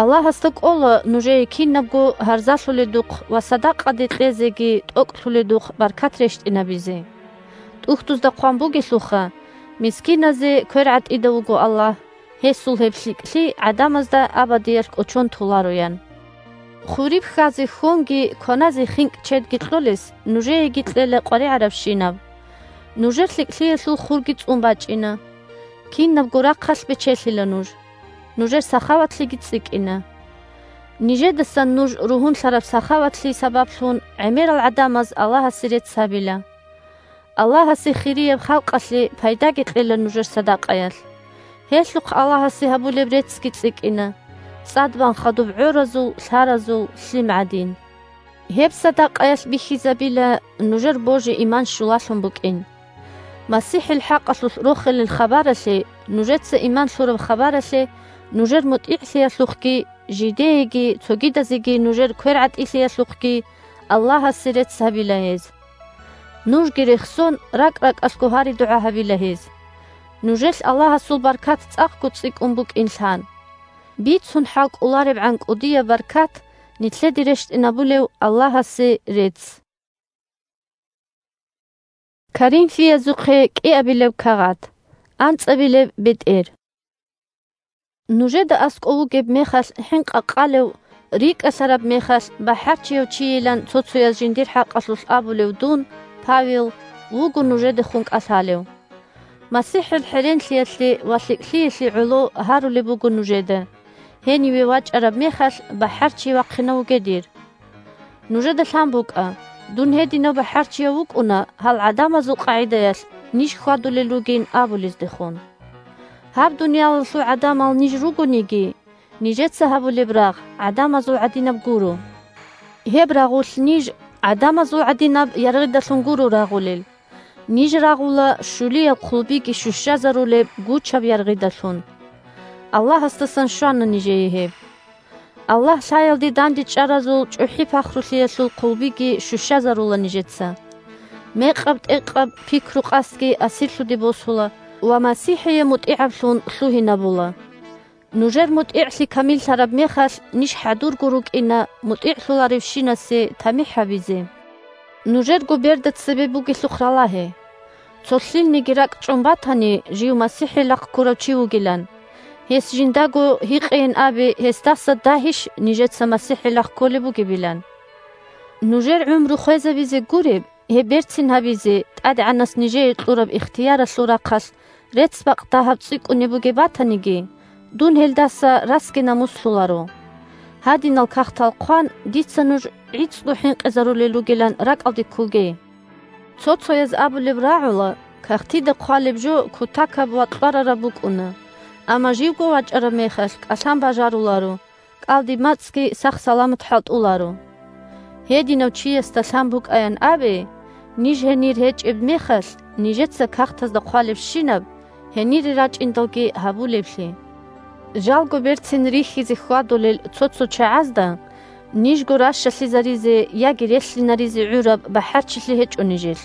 Аллагьасда кӀола нужее кинабго гьарзалъуледухъ ва садакъаде кьезеги тӀокӀлъуледухъ баркат рещтӀинабизе. ТӀухьдузда хъван бугелъулха: «Мискиназе квер гӀатӀидав вуго Аллагь, гьесул гьеб лъикӀлъи гӀадамазда абадиялъ кӀочон толароян». Хуриб хьазе хьонги кваназе хинкӀ чедги кьолес нужееги кьела къваригӀарабщинаб. Нужер лъикӀлъиялъул хурги цӀун бачӀина. Кинабго рахъалъ бечелъила нуж. Нужер сахаватлъиги цӀикӀкӀина. Нижедасан нуж ругьунлъараб сахаватлъи сабаблъун гӀемерал гӀадамаз Аллагьасе рецц гьабила. Аллагьасе хирияб халкъалъе пайдаги кьела нужер садакъаялъ. Гьелъухъ Аллагьасе гьабулеб реццги цӀикӀкӀина, цӀадбан хадуб гӀоразул, лъаразул лъим гӀадин. Гьеб садакъаялъ бихьизабила нужер божи-иман щулалъун букӀин. МасихӀил хӀакъалъулъ рохелил хабаралъе, нужеца иман лъураб хабаралъе, нужер мутӀигӀлъиялъухъги, жидееги цогидазеги нужер квер гӀатӀилъиялъухъги Аллагьасе рецц гьабила гьез. Нужги рехсон, ракӀ-ракӀалъго гьари-дугӀа гьабила гьез. Нужелъ Аллагьасул баркат цӀакъго цӀикӀкӀун букӀин лъан. Бицун хӀал кӀоларебгӀан кӀудияб баркат нилъеде рещтӀинабулев Аллагьасе рецц. Коринфиязухъе кӀиабилеб кагъат, анцӀабилеб бетӀер. Нужеда аскӀов вугеб мехалъ хӀинкъа къалев, рикӀкӀалъараб мехалъ бахӀарчияв чийилан цо-цояз жиндир хӀакъалъулъ абулев дун, Павел, вуго нужедехун кӀалъалев. МасихӀил хӀеренлъиялъе ва лъикӀлъиялъе гӀоло гьарулеб буго нужеда, гьениве вачӀараб мехалъ бахӀарчи вахъинав вуге дир. Нужеда лъан букӀа, дун гьединав бахӀарчияв вукӀуна гьал гӀадамазул къагӀидаялъ ниж хьвадулел ругин абулездехун. Гьаб дуниялалъул гӀадамал ниж ругониги, нижеца гьабулеб рагъ гӀадамазул гӀадинаб гуро. Гьеб рагъулъ ниж гӀадамазул гӀадинаб яргъидалъун гуро рагъулел. Ниж рагъула щулияб хъулбиги щущазарулеб гучаб яргъидалъун. Аллагьасдасан щвана нижее гьеб. Аллагь лъаялде дандечӀаразул чӀухӀи пахрулъиялъул хъулбиги щущазарула нижеца. Мекъаб-тӀекъаб пикру-къасдги асирлъуде босула ва МасихӀие мутӀигӀаблъун лъугьинабула. Нужер мутӀигӀлъи камиллъараб мехалъ, ниж хӀадурго рукӀина мутӀигӀлъуларевщинасе тамихӀ гьабизе. Нужерго берда цебе бугелъухъ ралагье. Цо лъилниги ракӀчӀун батани, жив МасихӀилахъ ккурав чи вугилан. Гьес жиндаго гьикъейин абе, гьесдаса дагьищ нижеца МасихӀилахъ кколеб бугебилан? Нужер гӀумру хвезабизе гуреб, гьеб берцин гьабизе ТӀадегӀанас нижее кьураб ихтияралъул рахъалъ рецц-бакъ дагьаб цӀикӀкӀунеб бугеб батаниги, Дун гьелдаса расги намуслъуларо. Гьадинал кагътал хъван, дица нуж гӀицӀго хӀинкъизарулел ругилан ракӀалде кколге. Цо-цояз абулеб рагӀула, кагътида хъвалеб жо кутакаб ва кьварараб букӀуна, амма живго вачӀараб мехалъ кӀалъан бажаруларо, кӀалдиб мацӀги сах-саламат хӀалтӀуларо. Гьединав чиясда лъан букӀаян абе, ниж гьенир гьечӀеб мехалъ, нижеца кагътазда хъвалебщинаб, гьенире рачӀиндалги гьабулеблъи. Жалго берцин рихьизе хьвадулел цо-цо чагӀазда нижго ращалъизаризе яги релълъинаризе гӀураб бахӀарчилъи гьечӀо нижелъ.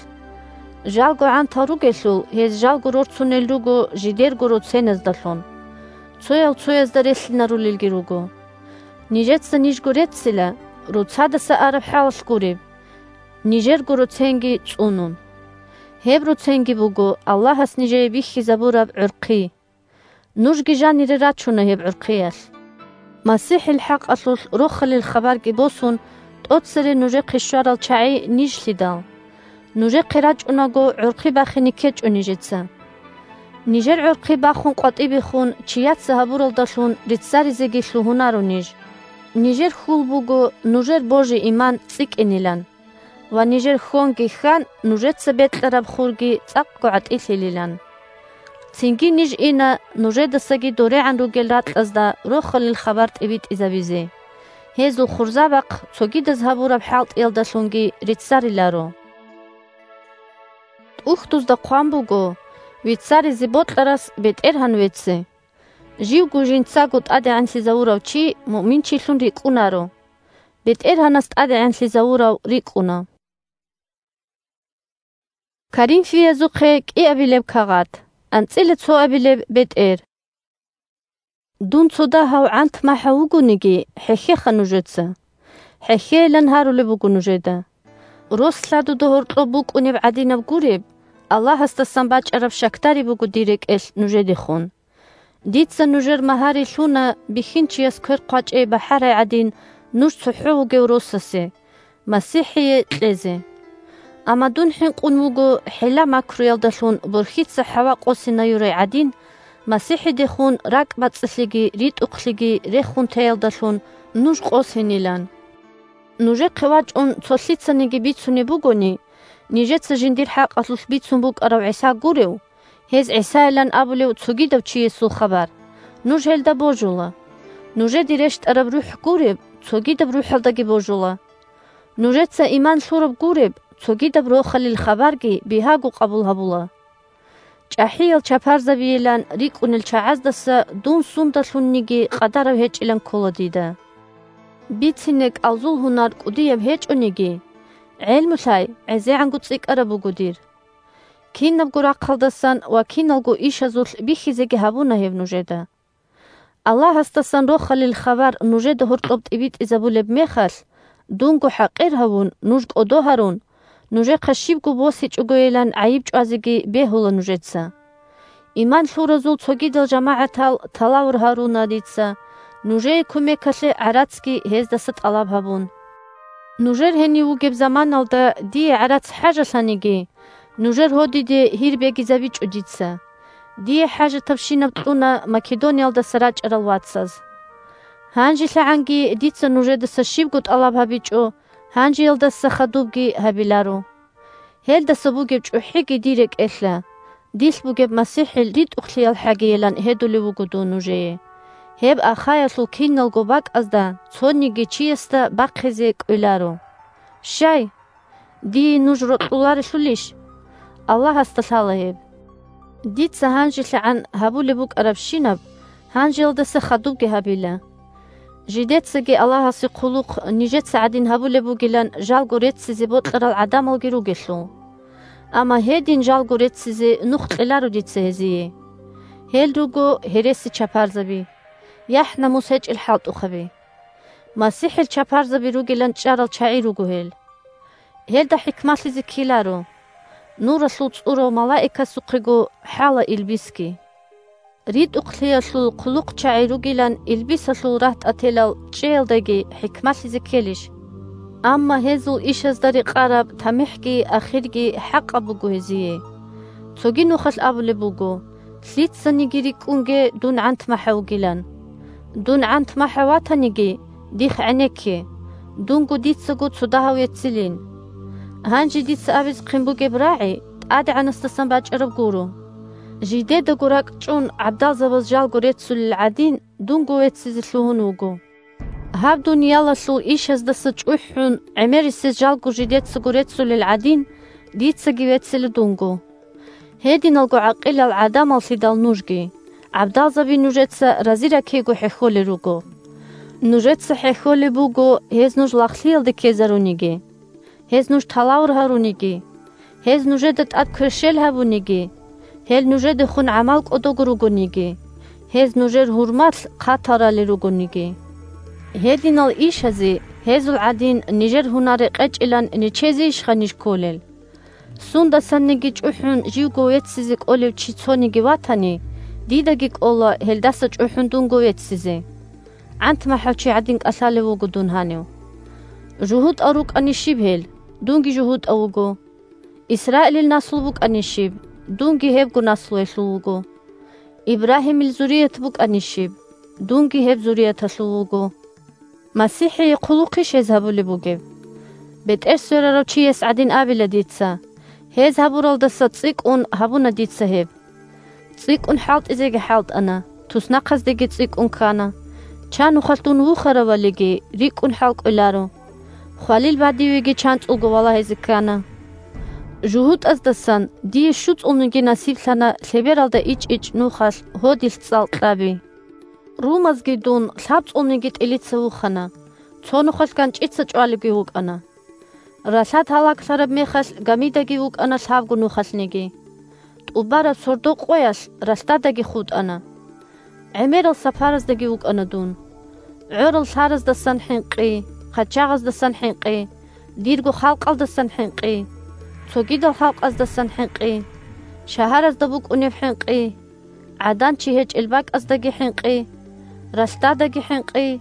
Жалго гӀантал ругелъул, гьез жалго рорцунел руго жидерго роценаздалъун. Цоял цоязда релълъинарулелги руго. Нижеца нижго реццила, роцадаса араб хӀалалъ гуреб, нижерго роценги цӀунун. Гьеб роценги буго Аллагьас нижее бихьизабураб гӀурхъи. Нужги жанире рачуна гьеб гӀурхъиялъ. МасихӀил хӀакъалъулъ рохалил хабарги босун, тӀоцере нужехъе щварал чагӀи нижлъидал. Нужехъе рачӀунаго гӀурхъи бахине ккечӀо нижеца. Нижер гӀурхъи бахун къватӀибехун чияца гьабуралдалъун риццаризеги лъугьунаро ниж. Нижер хьул буго нужер божи-иман цӀикӀкӀинилан. Ва нижер хьонги хьан нужеца бекьараб хурги цӀакъго гӀатӀилъилилан. Цинги ниж ина нужедасаги дорегӀан ругел ракьазда рохалил хабар тӀибитӀизабизе. Гьезул хурзабахъ цогидаз гьабураб хӀалтӀиялдалъунги риццариларо. ТӀухьдузда хъван буго: «Вицаризе бокьарас БетӀергьан вецце». Живго жинцаго тӀадегӀанлъизавурав чи муъминчилъун рикӀкӀунаро. БетӀергьанас тӀадегӀанлъизавурав рикӀкӀуна. Коринфиязухъе кӀиабилеб кагъат, анцӀила цоабилеб бетӀер. Дун цо дагьав гӀант-махӀав вугониги, хӀехьеха нужеца. ХӀехьейилан гьарулеб буго нужеда. Рос лъадуда гьоркьоб букӀунеб гӀадинаб гуреб, Аллагьасдасан бачӀараб щакдари буго дир рекӀелъ нужедехун. Дица нужер магьари лъуна, бихьинчияс квер хъвачӀей бахӀарай гӀадин, нуж цохӀо вугев росасе, МасихӀие, кьезе. Амма дун хӀинкъун вуго хӀила-макруялдалъун борхьица хӀава къосинаюрай гӀадин, МасихӀидехун ракӀбацӀцӀалъиги ритӀухълъиги рехун теялдалъун нуж къосинилан. Нужехъе вачӀун цо лъицаниги бицунеб бугони, нижеца жиндир хӀакъалъулъ бицун букӀарав ГӀиса гурев, гьез ГӀисайилан абулев цогидав чиясул хабар, нуж гьелда божула. Нужеде рещтӀараб РухӀ гуреб, цогидаб рухӀалдаги божула. Нужеца иман лъураб гуреб, цогидаб рохалил хабарги бигьаго къабул гьабула. ЧӀахӀиял чапарзабийилан рикӀкӀунел чагӀаздаса дун сундалъунниги къадарав гьечӀилан ккола дида. Бицине кӀалзул гьунар кӀудияб гьечӀониги, гӀелму лъай, гӀезегӀанго цӀикӀкӀараб буго дир. Кинабго рахъалдасан ва киналго ишазулъ бихьизеги гьабуна гьеб нужеда. Аллагьасдасан рохалил хабар нужеда гьоркьоб тӀибитӀизабулеб мехалъ, дунго хӀакъир гьавун, нуж кӀодо гьарун, нужехъа щибго босичӀогойилан гӀайиб чӀвазеги бегьула нужеца. Иман лъуразул цогидал жамагӀатал талавур гьаруна дица, нужее кумекалъе гӀарацги гьездаса тӀалаб гьабун. Нужер гьенив вугеб заманалда дие гӀарац хӀажалъаниги, нужер гьодиде гьир бегизабичӀо дица. Дие хӀажатабщинаб кьуна Македониялдаса рачӀарал вацаз. ГьанжелъагӀанги дица нужедаса щибго тӀалаб гьабичӀо, гьанжеялдаса хадубги гьабиларо. Гьелдаса бугеб чӀухӀиги дир рекӀелъа, дилъ бугеб МасихӀил ритӀухълъиялхӀагийилан гьедулев вуго дун нужее. Гьеб Ахаялъул киналго бакӀазда цониги чиясда бахъизе кӀвеларо. Щай! Дие нуж рокьуларелъулищ? Аллагьасда лъала гьеб. Дица гьанжелъагӀан гьабулеб букӀарабщинаб, гьанжеялдаса хадубги гьабила. Жидецаги Аллагьасе хъулухъ нижеца гӀадин гьабулеб бугилан жалго реццизе бокьарал гӀадамалги ругелъул. Амма гьедин жалго реццизе нух кьеларо дица гьезие. Гьел руго гьереси чапарзаби, яхӀ-намус гьечӀел хӀалтӀухъаби. МасихӀил чапарзаби ругилан чӀарал чагӀи руго гьел. Гьелда хӀикмалъизе ккеларо, нуралъул цӀурав малаикасухъего хӀала илбисги. РитӀухълъиялъул хъулухъчагӀи ругилан илбисалъул рагьтӀателал чӀеялдаги хӀикмалъизе ккелищ? Амма гьезул ишазда рекъараб тамихӀги ахирги хӀакъаб буго гьезие. Цоги нухалъ абулеб буго: Лъицаниги рикӀкӀунге дун гӀантмахӀав вугилан. Дун гӀантмахӀав ватаниги, дихъ гӀенекке, дунго дицаго цо дагьав веццилин. Гьанже дица абизехъин бугеб рагӀи ТӀадегӀанасдасан бачӀараб гуро. Жидедаго ракӀчӀун гӀабдалзабаз жалго реццулел гӀадин, дунго веццизе лъугьун вуго. Гьаб дуниялалъул ишаздаса чӀухӀун, гӀемерисез жалго жидецаго реццулел гӀадин, дицаги веццила дунго. Гьединалго гӀакъилал гӀадамаллъидал нужги, гӀабдалзаби нужеца рази раккего хӀехьолел руго. Нужеца хӀехьолеб буго, гьез нуж лагълъиялде ккезаруниги. Гьез нуж талавр гьаруниги, гьез нужеда тӀад кверщел гьабуниги, гьел нужедехун гӀамал кӀодого ругониги, гьез нужер гьурмалъ хъатал ралел ругониги. Гьединал ишазе гьезул гӀадин нижер гьунар рекъечӀилан нечезейищха ниж кколел? Сундасанниги чӀухӀун живго веццизе кӀолев чи цониги ватани, дидаги кӀола гьелдаса чӀухӀун дунго веццизе. ГӀантмахӀав чи гӀадин кӀалъалев вуго дун гьанив. ЖугьутӀал рукӀани щиб гьел? Дунги жугьутӀав вуго. Исраилил наслу букӀани щиб? Дунги гьебго наслуялъул вуго. Ибрагьимил зурият букӀани щиб? Дунги гьеб зурияталъул вуго. МасихӀие хъулухъищ гьез гьабулеб бугеб? БетӀер сверарав чияс гӀадин абила дица: «Гьез гьабуралдаса цӀикӀкӀун гьабуна дица гьеб». ЦӀикӀкӀун хӀалтӀизеги хӀалтӀана, туснахъаздеги цӀикӀкӀун ккана. Чан нухалъ дун вухаравалиги, рикӀкӀун хӀалкӀоларо. Хвалил бадивеги чанцӀулго валагьизе ккана. ЖугьутӀаздасан дие щуцӀулниги насиблъана лъебералда ичӀ-ичӀ нухалъ гьодилъ цӀалкьаби. Румазги дун лъабцӀулниги тӀилица вухана, цо нухалъ ганчӀица чӀвалебги вукӀана. Ралъад гьалаглъараб мехалъ гамидаги вукӀана лъабго нухалъниги. ТӀубараб сордо къоялъ ралъдадаги хутӀана. ГӀемерал сапараздаги вукӀана дун. ГӀорал лъараздасан хӀинкъи, хъачагъаздасан хӀинкъи, дирго халкъалдасан хӀинкъи, цогидал халкъаздасан хӀинкъи, шагьаразда букӀунеб хӀинкъи, гӀадан чи гьечӀел бакӀаздаги хӀинкъи, ралъдадаги хӀинкъи,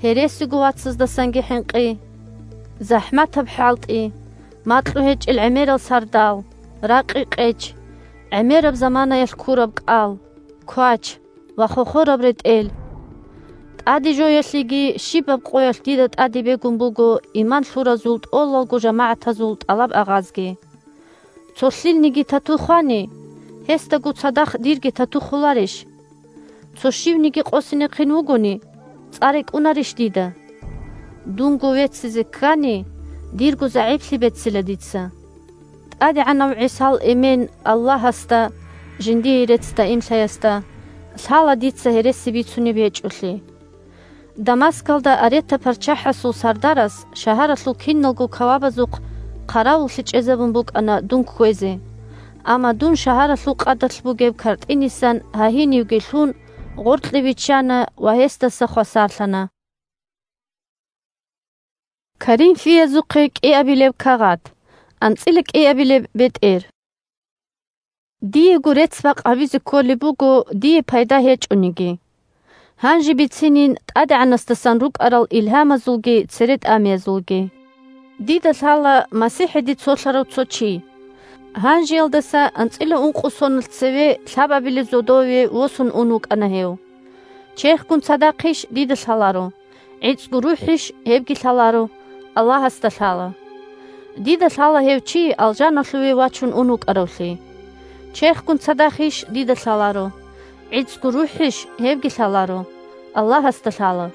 гьересиго вацаздасанги хӀинкъи, захӀматаб хӀалтӀи, макьу гьечӀел гӀемерал сардал, ракъи-къеч, гӀемераб заманаялъ ккураб кӀал, квач ва хохораб ретӀел. ТӀаде жоялъеги щибаб къоялъ дида тӀаде бегун буго иман лъуразул тӀолалго жамагӀатазул тӀалаб-агъазги. Цо лъилниги тату хвани, гьесдаго цадахъ дирги тату хуларищ? Цо щивниги къосинехъин вугони, цӀа рекӀунарищ дида? Дунго веццизе ккани, дирго загӀиплъи беццила дица. ТӀадегӀанав ГӀисал эмен Аллагьасда, жиндие рецц даимлъаясда, лъала дица гьереси бицунеб гьечӀолъи. Дамаскалда Арета-паччахӀасул сардарас шагьаралъул киналго кавабазухъ хъаравуллъи чӀезабун букӀана дун кквезе, амма дун шагьаралъул къадалъ бугеб картӀинисан гьагьинивги лъун, гъоркье биччана ва гьесдаса хвасарлъана. Коринфиязухъе кӀиабилеб кагъат. АнцӀила кӀиабилеб бетӀер. Диего рецц-бакъ гьабизе кколеб буго, дие пайда гьечӀониги. Гьанже бицинин ТӀадегӀанасдасан рукӀарал илгьамазулги церетӀамиязулги. Дида лъала МасихӀиде цолъарав цо чи. Гьанжеялдаса анцӀила ункъо соналъ цеве лъабабилеб зодове восун ун вукӀана гьев. Черхгун цадахъищ дида лъаларо, гӀицӀго рухӀищ гьебги лъаларо, Аллагьасда лъала. Дида лъала гьев чи алжаналъуве вачун ун вукӀаравлъи. Черхгун цадахъищ дида лъаларо, гӀицӀго рухӀищ гьебги лъаларо, Аллагьасда лъала.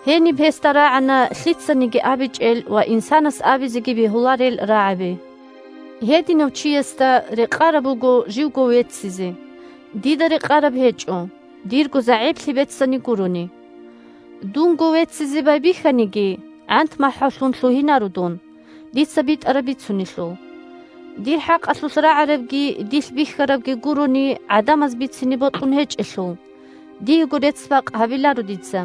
Гьениб гьесда рагӀана лъицаниги абичӀел ва инсанас абизеги бегьуларел рагӀаби. Гьединав чиясда рекъараб буго живго веццизе, дида рекъараб гьечӀо, дирго загӀиплъи беццани гурони. Дунго веццизе байбихьаниги, гӀант-махӀаллъун лъугьинаро дун, дица битӀараб бицунелъул. Дир хӀакъалъулъ рагӀарабги дилъ бихьарабги гурони гӀадамаз бицине бокьун гьечӀелъул, диего рецц-бакъ гьабиларо дица.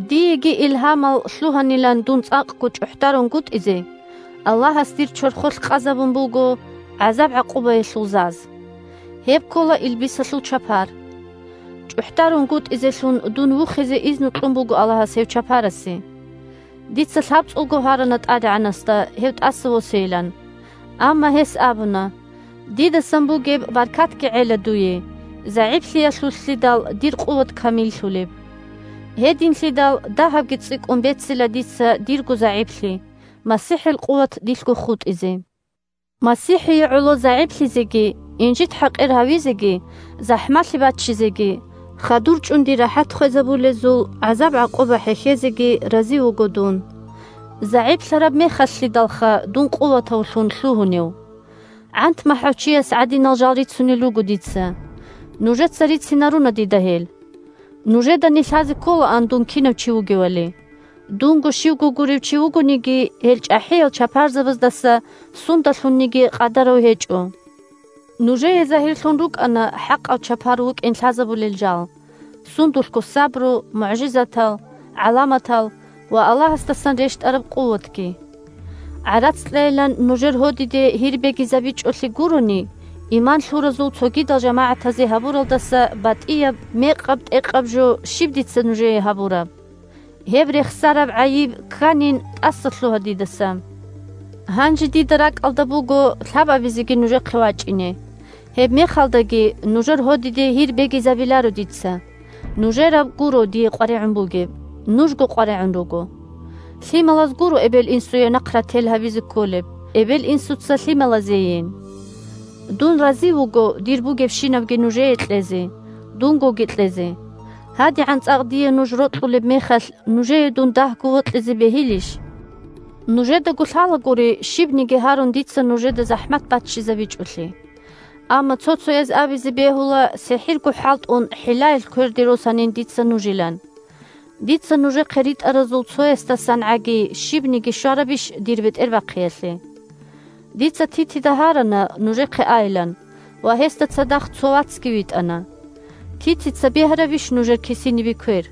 Диеги илгьамал лъугьанилан дун цӀакъго чӀухӀдарунгутӀизе, Аллагьас дир чорхолъ къазабун буго гӀазаб-гӀакъубаялъул заз. Гьеб ккола илбисалъул чапар. ЧӀухӀдарунгутӀизелъун дун вухизе изну кьун буго Аллагьас гьев чапарасе. Дица лъабцӀулго гьарана ТӀадегӀанасда гьев тӀаса восейилан. Амма гьес абуна: «Дидасан бугеб баркатги гӀела дуе, загӀиплъиялъулъидал дир къуват камиллъулеб. Гьединлъидал дагьабги цӀикӀкӀун бецила дица дирго загӀиплъи, МасихӀил къуват дилъго хутӀизе. МасихӀие гӀоло загӀиплъизеги, инжит-хӀакъир гьавизеги, захӀмалъи баччизеги, хадур чӀун дир рахӀат хвезабулезул гӀазаб-гӀакъуба хӀехьезеги рази вуго дун. ЗагӀиплъараб мехалъидалха дун къуватавлъун лъугьунев. ГӀант-махӀав чияс гӀадинал жал рицунел руго дица. Нужеца рицинаруна дида гьел. Нужеда нилъазе кколаан дун кинав чи вугевали. Дунго щивго гурев чи вугониги, гьел чӀахӀиял чапарзабаздаса сундалъунниги къадарав гьечӀо. Нужее загьирлъун рукӀана хӀакъав чапар вукӀин лъазабулел жал, сундулъго сабру, мугӀжизатал, гӀаламатал ва Аллагьасдасан рещтӀараб къуватги. ГӀарац кьейилан нужер гьодиде гьир бегизабичӀолъи гурони, иман лъуразул цогидал жамагӀатазе гьабуралдаса батӀияб, мекъаб-тӀекъаб жо щиб дица нужее гьабураб? Гьеб рехсараб гӀайиб кканин тӀаса лъугьа дидаса. Гьанже дида ракӀалда буго лъабабизеги нужехъе вачӀине. Гьеб мехалдаги нужер гьодиде гьир бегизабиларо дица. Нужераб гуро дие къваригӀун бугеб, нужго къваригӀун руго. Лъималаз гуро эбел-инсуе нахъ рател гьабизе кколеб, эбел-инсуца лъималазейин. Дун рази вуго дир бугебщинабги нужее кьезе, дунгоги кьезе. ГьадигӀан цӀакъ дие нуж рокьулеб мехалъ, нужее дун дагьго вокьизе бегьилищ? Нужедаго лъалагури, щибниги гьарун дица нужеда захӀмат баччизабичӀолъи. Амма цо-цояз абизе бегьула, сихӀирго хӀалтӀун хӀилаялъ кверде росанин дица нужилан. Дица нужехъе ритӀаразул цоясдасан гӀаги щибниги щварабищ дир бетӀербахъиялъе? Дица Титида гьарана нужехъе айилан, ва гьесда цадахъ цо вацги витӀана. Титица бегьарабищ нужер кисинибе квер?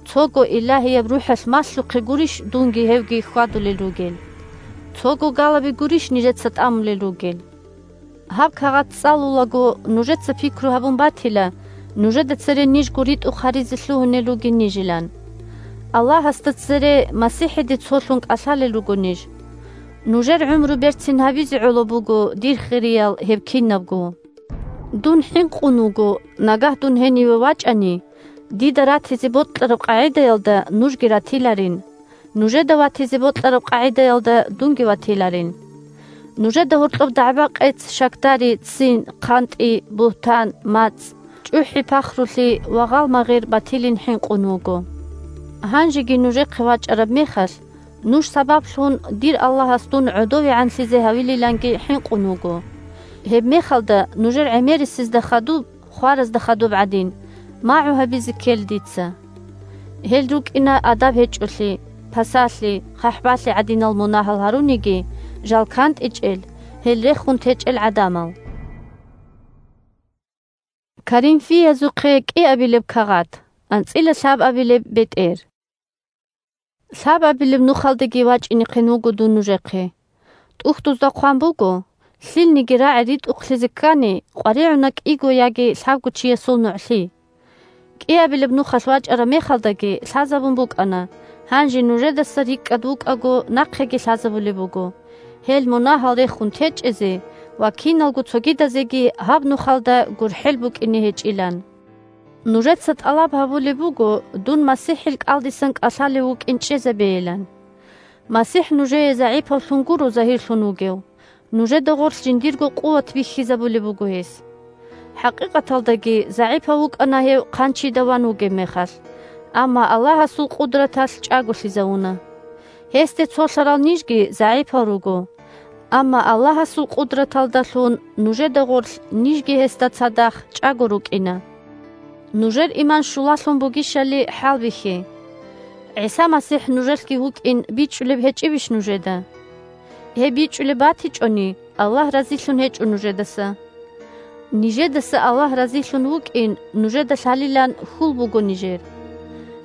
Цого Илагьияб РухӀалъ малъухъе гурищ дунги гьевги хьвадулел ругел? Цого галаби гурищ нижеца тӀамулел ругел? Гьаб кагъат цӀалулаго, нужеца пикру гьабун батила, нужеда цере нижго ритӀухъ гьаризе лъугьунел ругин нижилан. Аллагьасда цере МасихӀиде цолъун кӀалъалел руго ниж. Нужер гӀумру берцин гьабизе гӀоло буго, дир хириял, гьеб кинабго. Дун хӀинкъун вуго, нагагь дун гьениве вачӀани, дида ратизе бокьараб къагӀидаялда нужги ратиларин. Нужеда ватизе бокьараб къагӀидаялда дунги ватиларин. Нужеда гьоркьоб дагӀба-къец, щакдари, ццин, хъантӀи, бугьтан, мацӀ, чӀухӀи-пахрулъи ва гъалмагъир батилин хӀинкъун вуго. Гьанжеги нужехъе вачӀараб мехалъ, нуж сабаблъун дир Аллагьас дун гӀодовегӀанлъизе гьавилиланги хӀинкъун вуго. Гьеб мехалда нужер гӀемерисезда хадуб, хваразда хадуб гӀадин, магӀу гьабизе ккел дица. Гьел рукӀина адаб гьечӀолъи, пасалъи, хъахӀбалъи гӀадинал мунагьал гьаруниги, жал кантӀичӀел, гьел рехун течӀел гӀадамал. Коринфиязухъе кӀиабилеб кагъат, анцӀила лъабабилеб бетӀер. Лъабабилеб нухалдаги вачӀинехъин вуго дун нужехъе. ТӀухьдузда хъван буго: «Лъилниги рагӀи ритӀухълъизе ккани, къваригӀуна кӀиго яги лъабго чиясул нугӀлъи». КӀиабилеб нухалъ вачӀараб мехалдаги лъазабун букӀана, гьанже нужедаса рикӀкӀад вукӀаго нахъеги лъазабулеб буго, гьел мунагьал рехун течӀезе ва киналго цогидазеги гьаб нухалда гурхӀел букӀине гьечӀилан. Нужеца тӀалаб гьабулеб буго дун МасихӀил кӀалдисан кӀалъалев вукӀин чӀезабейилан. МасихӀ нужее загӀипавлъун гуро загьирлъун вугев, нужеда гъорлъ жиндирго къуват бихьизабулеб буго гьес. ХӀакъикъаталдаги загӀипав вукӀана гьев хъанчида ван вугеб мехалъ, амма Аллагьасул къудраталъ чӀаголъизавуна. Гьесде цолъарал нижги загӀипал руго. Амма Аллагьасул къудраталдалъун нужеда гъорлъ нижги гьесда цадахъ чӀаго рукӀина. Нужер иман щулалъун бугищали хӀалбихье. ГӀиса МасихӀ нужелъги вукӀин бичӀчӀулеб гьечӀебищ нужеда? Гьеб бичӀчӀулеб батичӀони, Аллагь разилъун гьечӀо нужедаса. Нижедаса Аллагь разилъун вукӀин, нужеда лъалилан хьул буго нижер.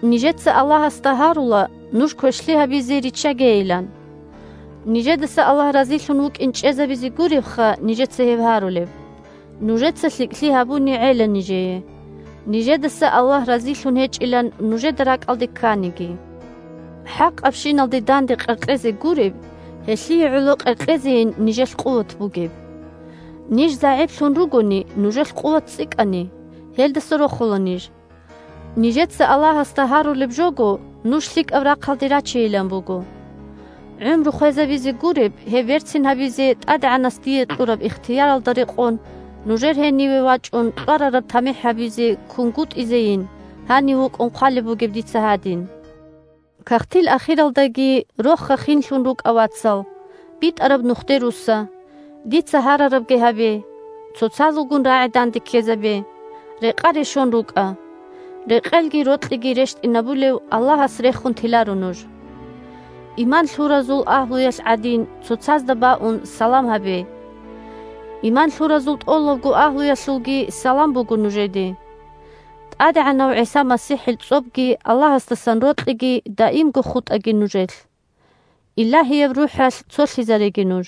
Нижеца Аллагьасда гьарула, нуж квешлъи гьабизе риччагейилан. Нижедаса Аллагь разилъун вукӀин чӀезабизе гуребха нижеца гьеб гьарулеб. Нужеца лъикӀлъи гьабуни гӀела нижее. Нижедаса Аллагь разилъун гьечӀилан нужеда ракӀалде кканиги. ХӀакъабщиналде данде къеркьезе гуреб, гьелъие гӀоло къеркьезейин нижелъ къуват бугеб. Ниж загӀиплъун ругони, нужелъ къуват цӀикӀкӀани, гьелдаса рохула ниж. Нижеца Аллагьасда гьарулеб жого нуж лъикӀаб рахъалде рачейилан буго. ГӀумру хвезабизе гуреб гьеб берцин гьабизе ТӀадегӀанас дие кьураб ихтияралда рекъон, нужер гьениве вачӀун кьварараб тамихӀ гьабизе кунгутӀизейин гьанив вукӀун хъвалеб бугеб дица гьадин. Кагътил ахиралдаги рохха хинлъун рукӀа, вацал, битӀараб нухде русса, дица гьарарабги гьабе, цоцазулгун рагӀи данде ккезабе, рекъа решон рукӀа. Рекъелги рокьиги рещтӀинабулев Аллагьас рехун теларо нуж. Иман лъуразул агьлуялъ гӀадин, цоцазда баун салам гьабе. Иман лъуразул тӀолабго агьлуялъулги салам буго нужеде. ТӀадегӀанав ГӀиса МасихӀил цӀобги Аллагьасдасан рокьиги даимго хутӀаги нужелъ. Илагьияб РухӀалъ цолъизареги нуж.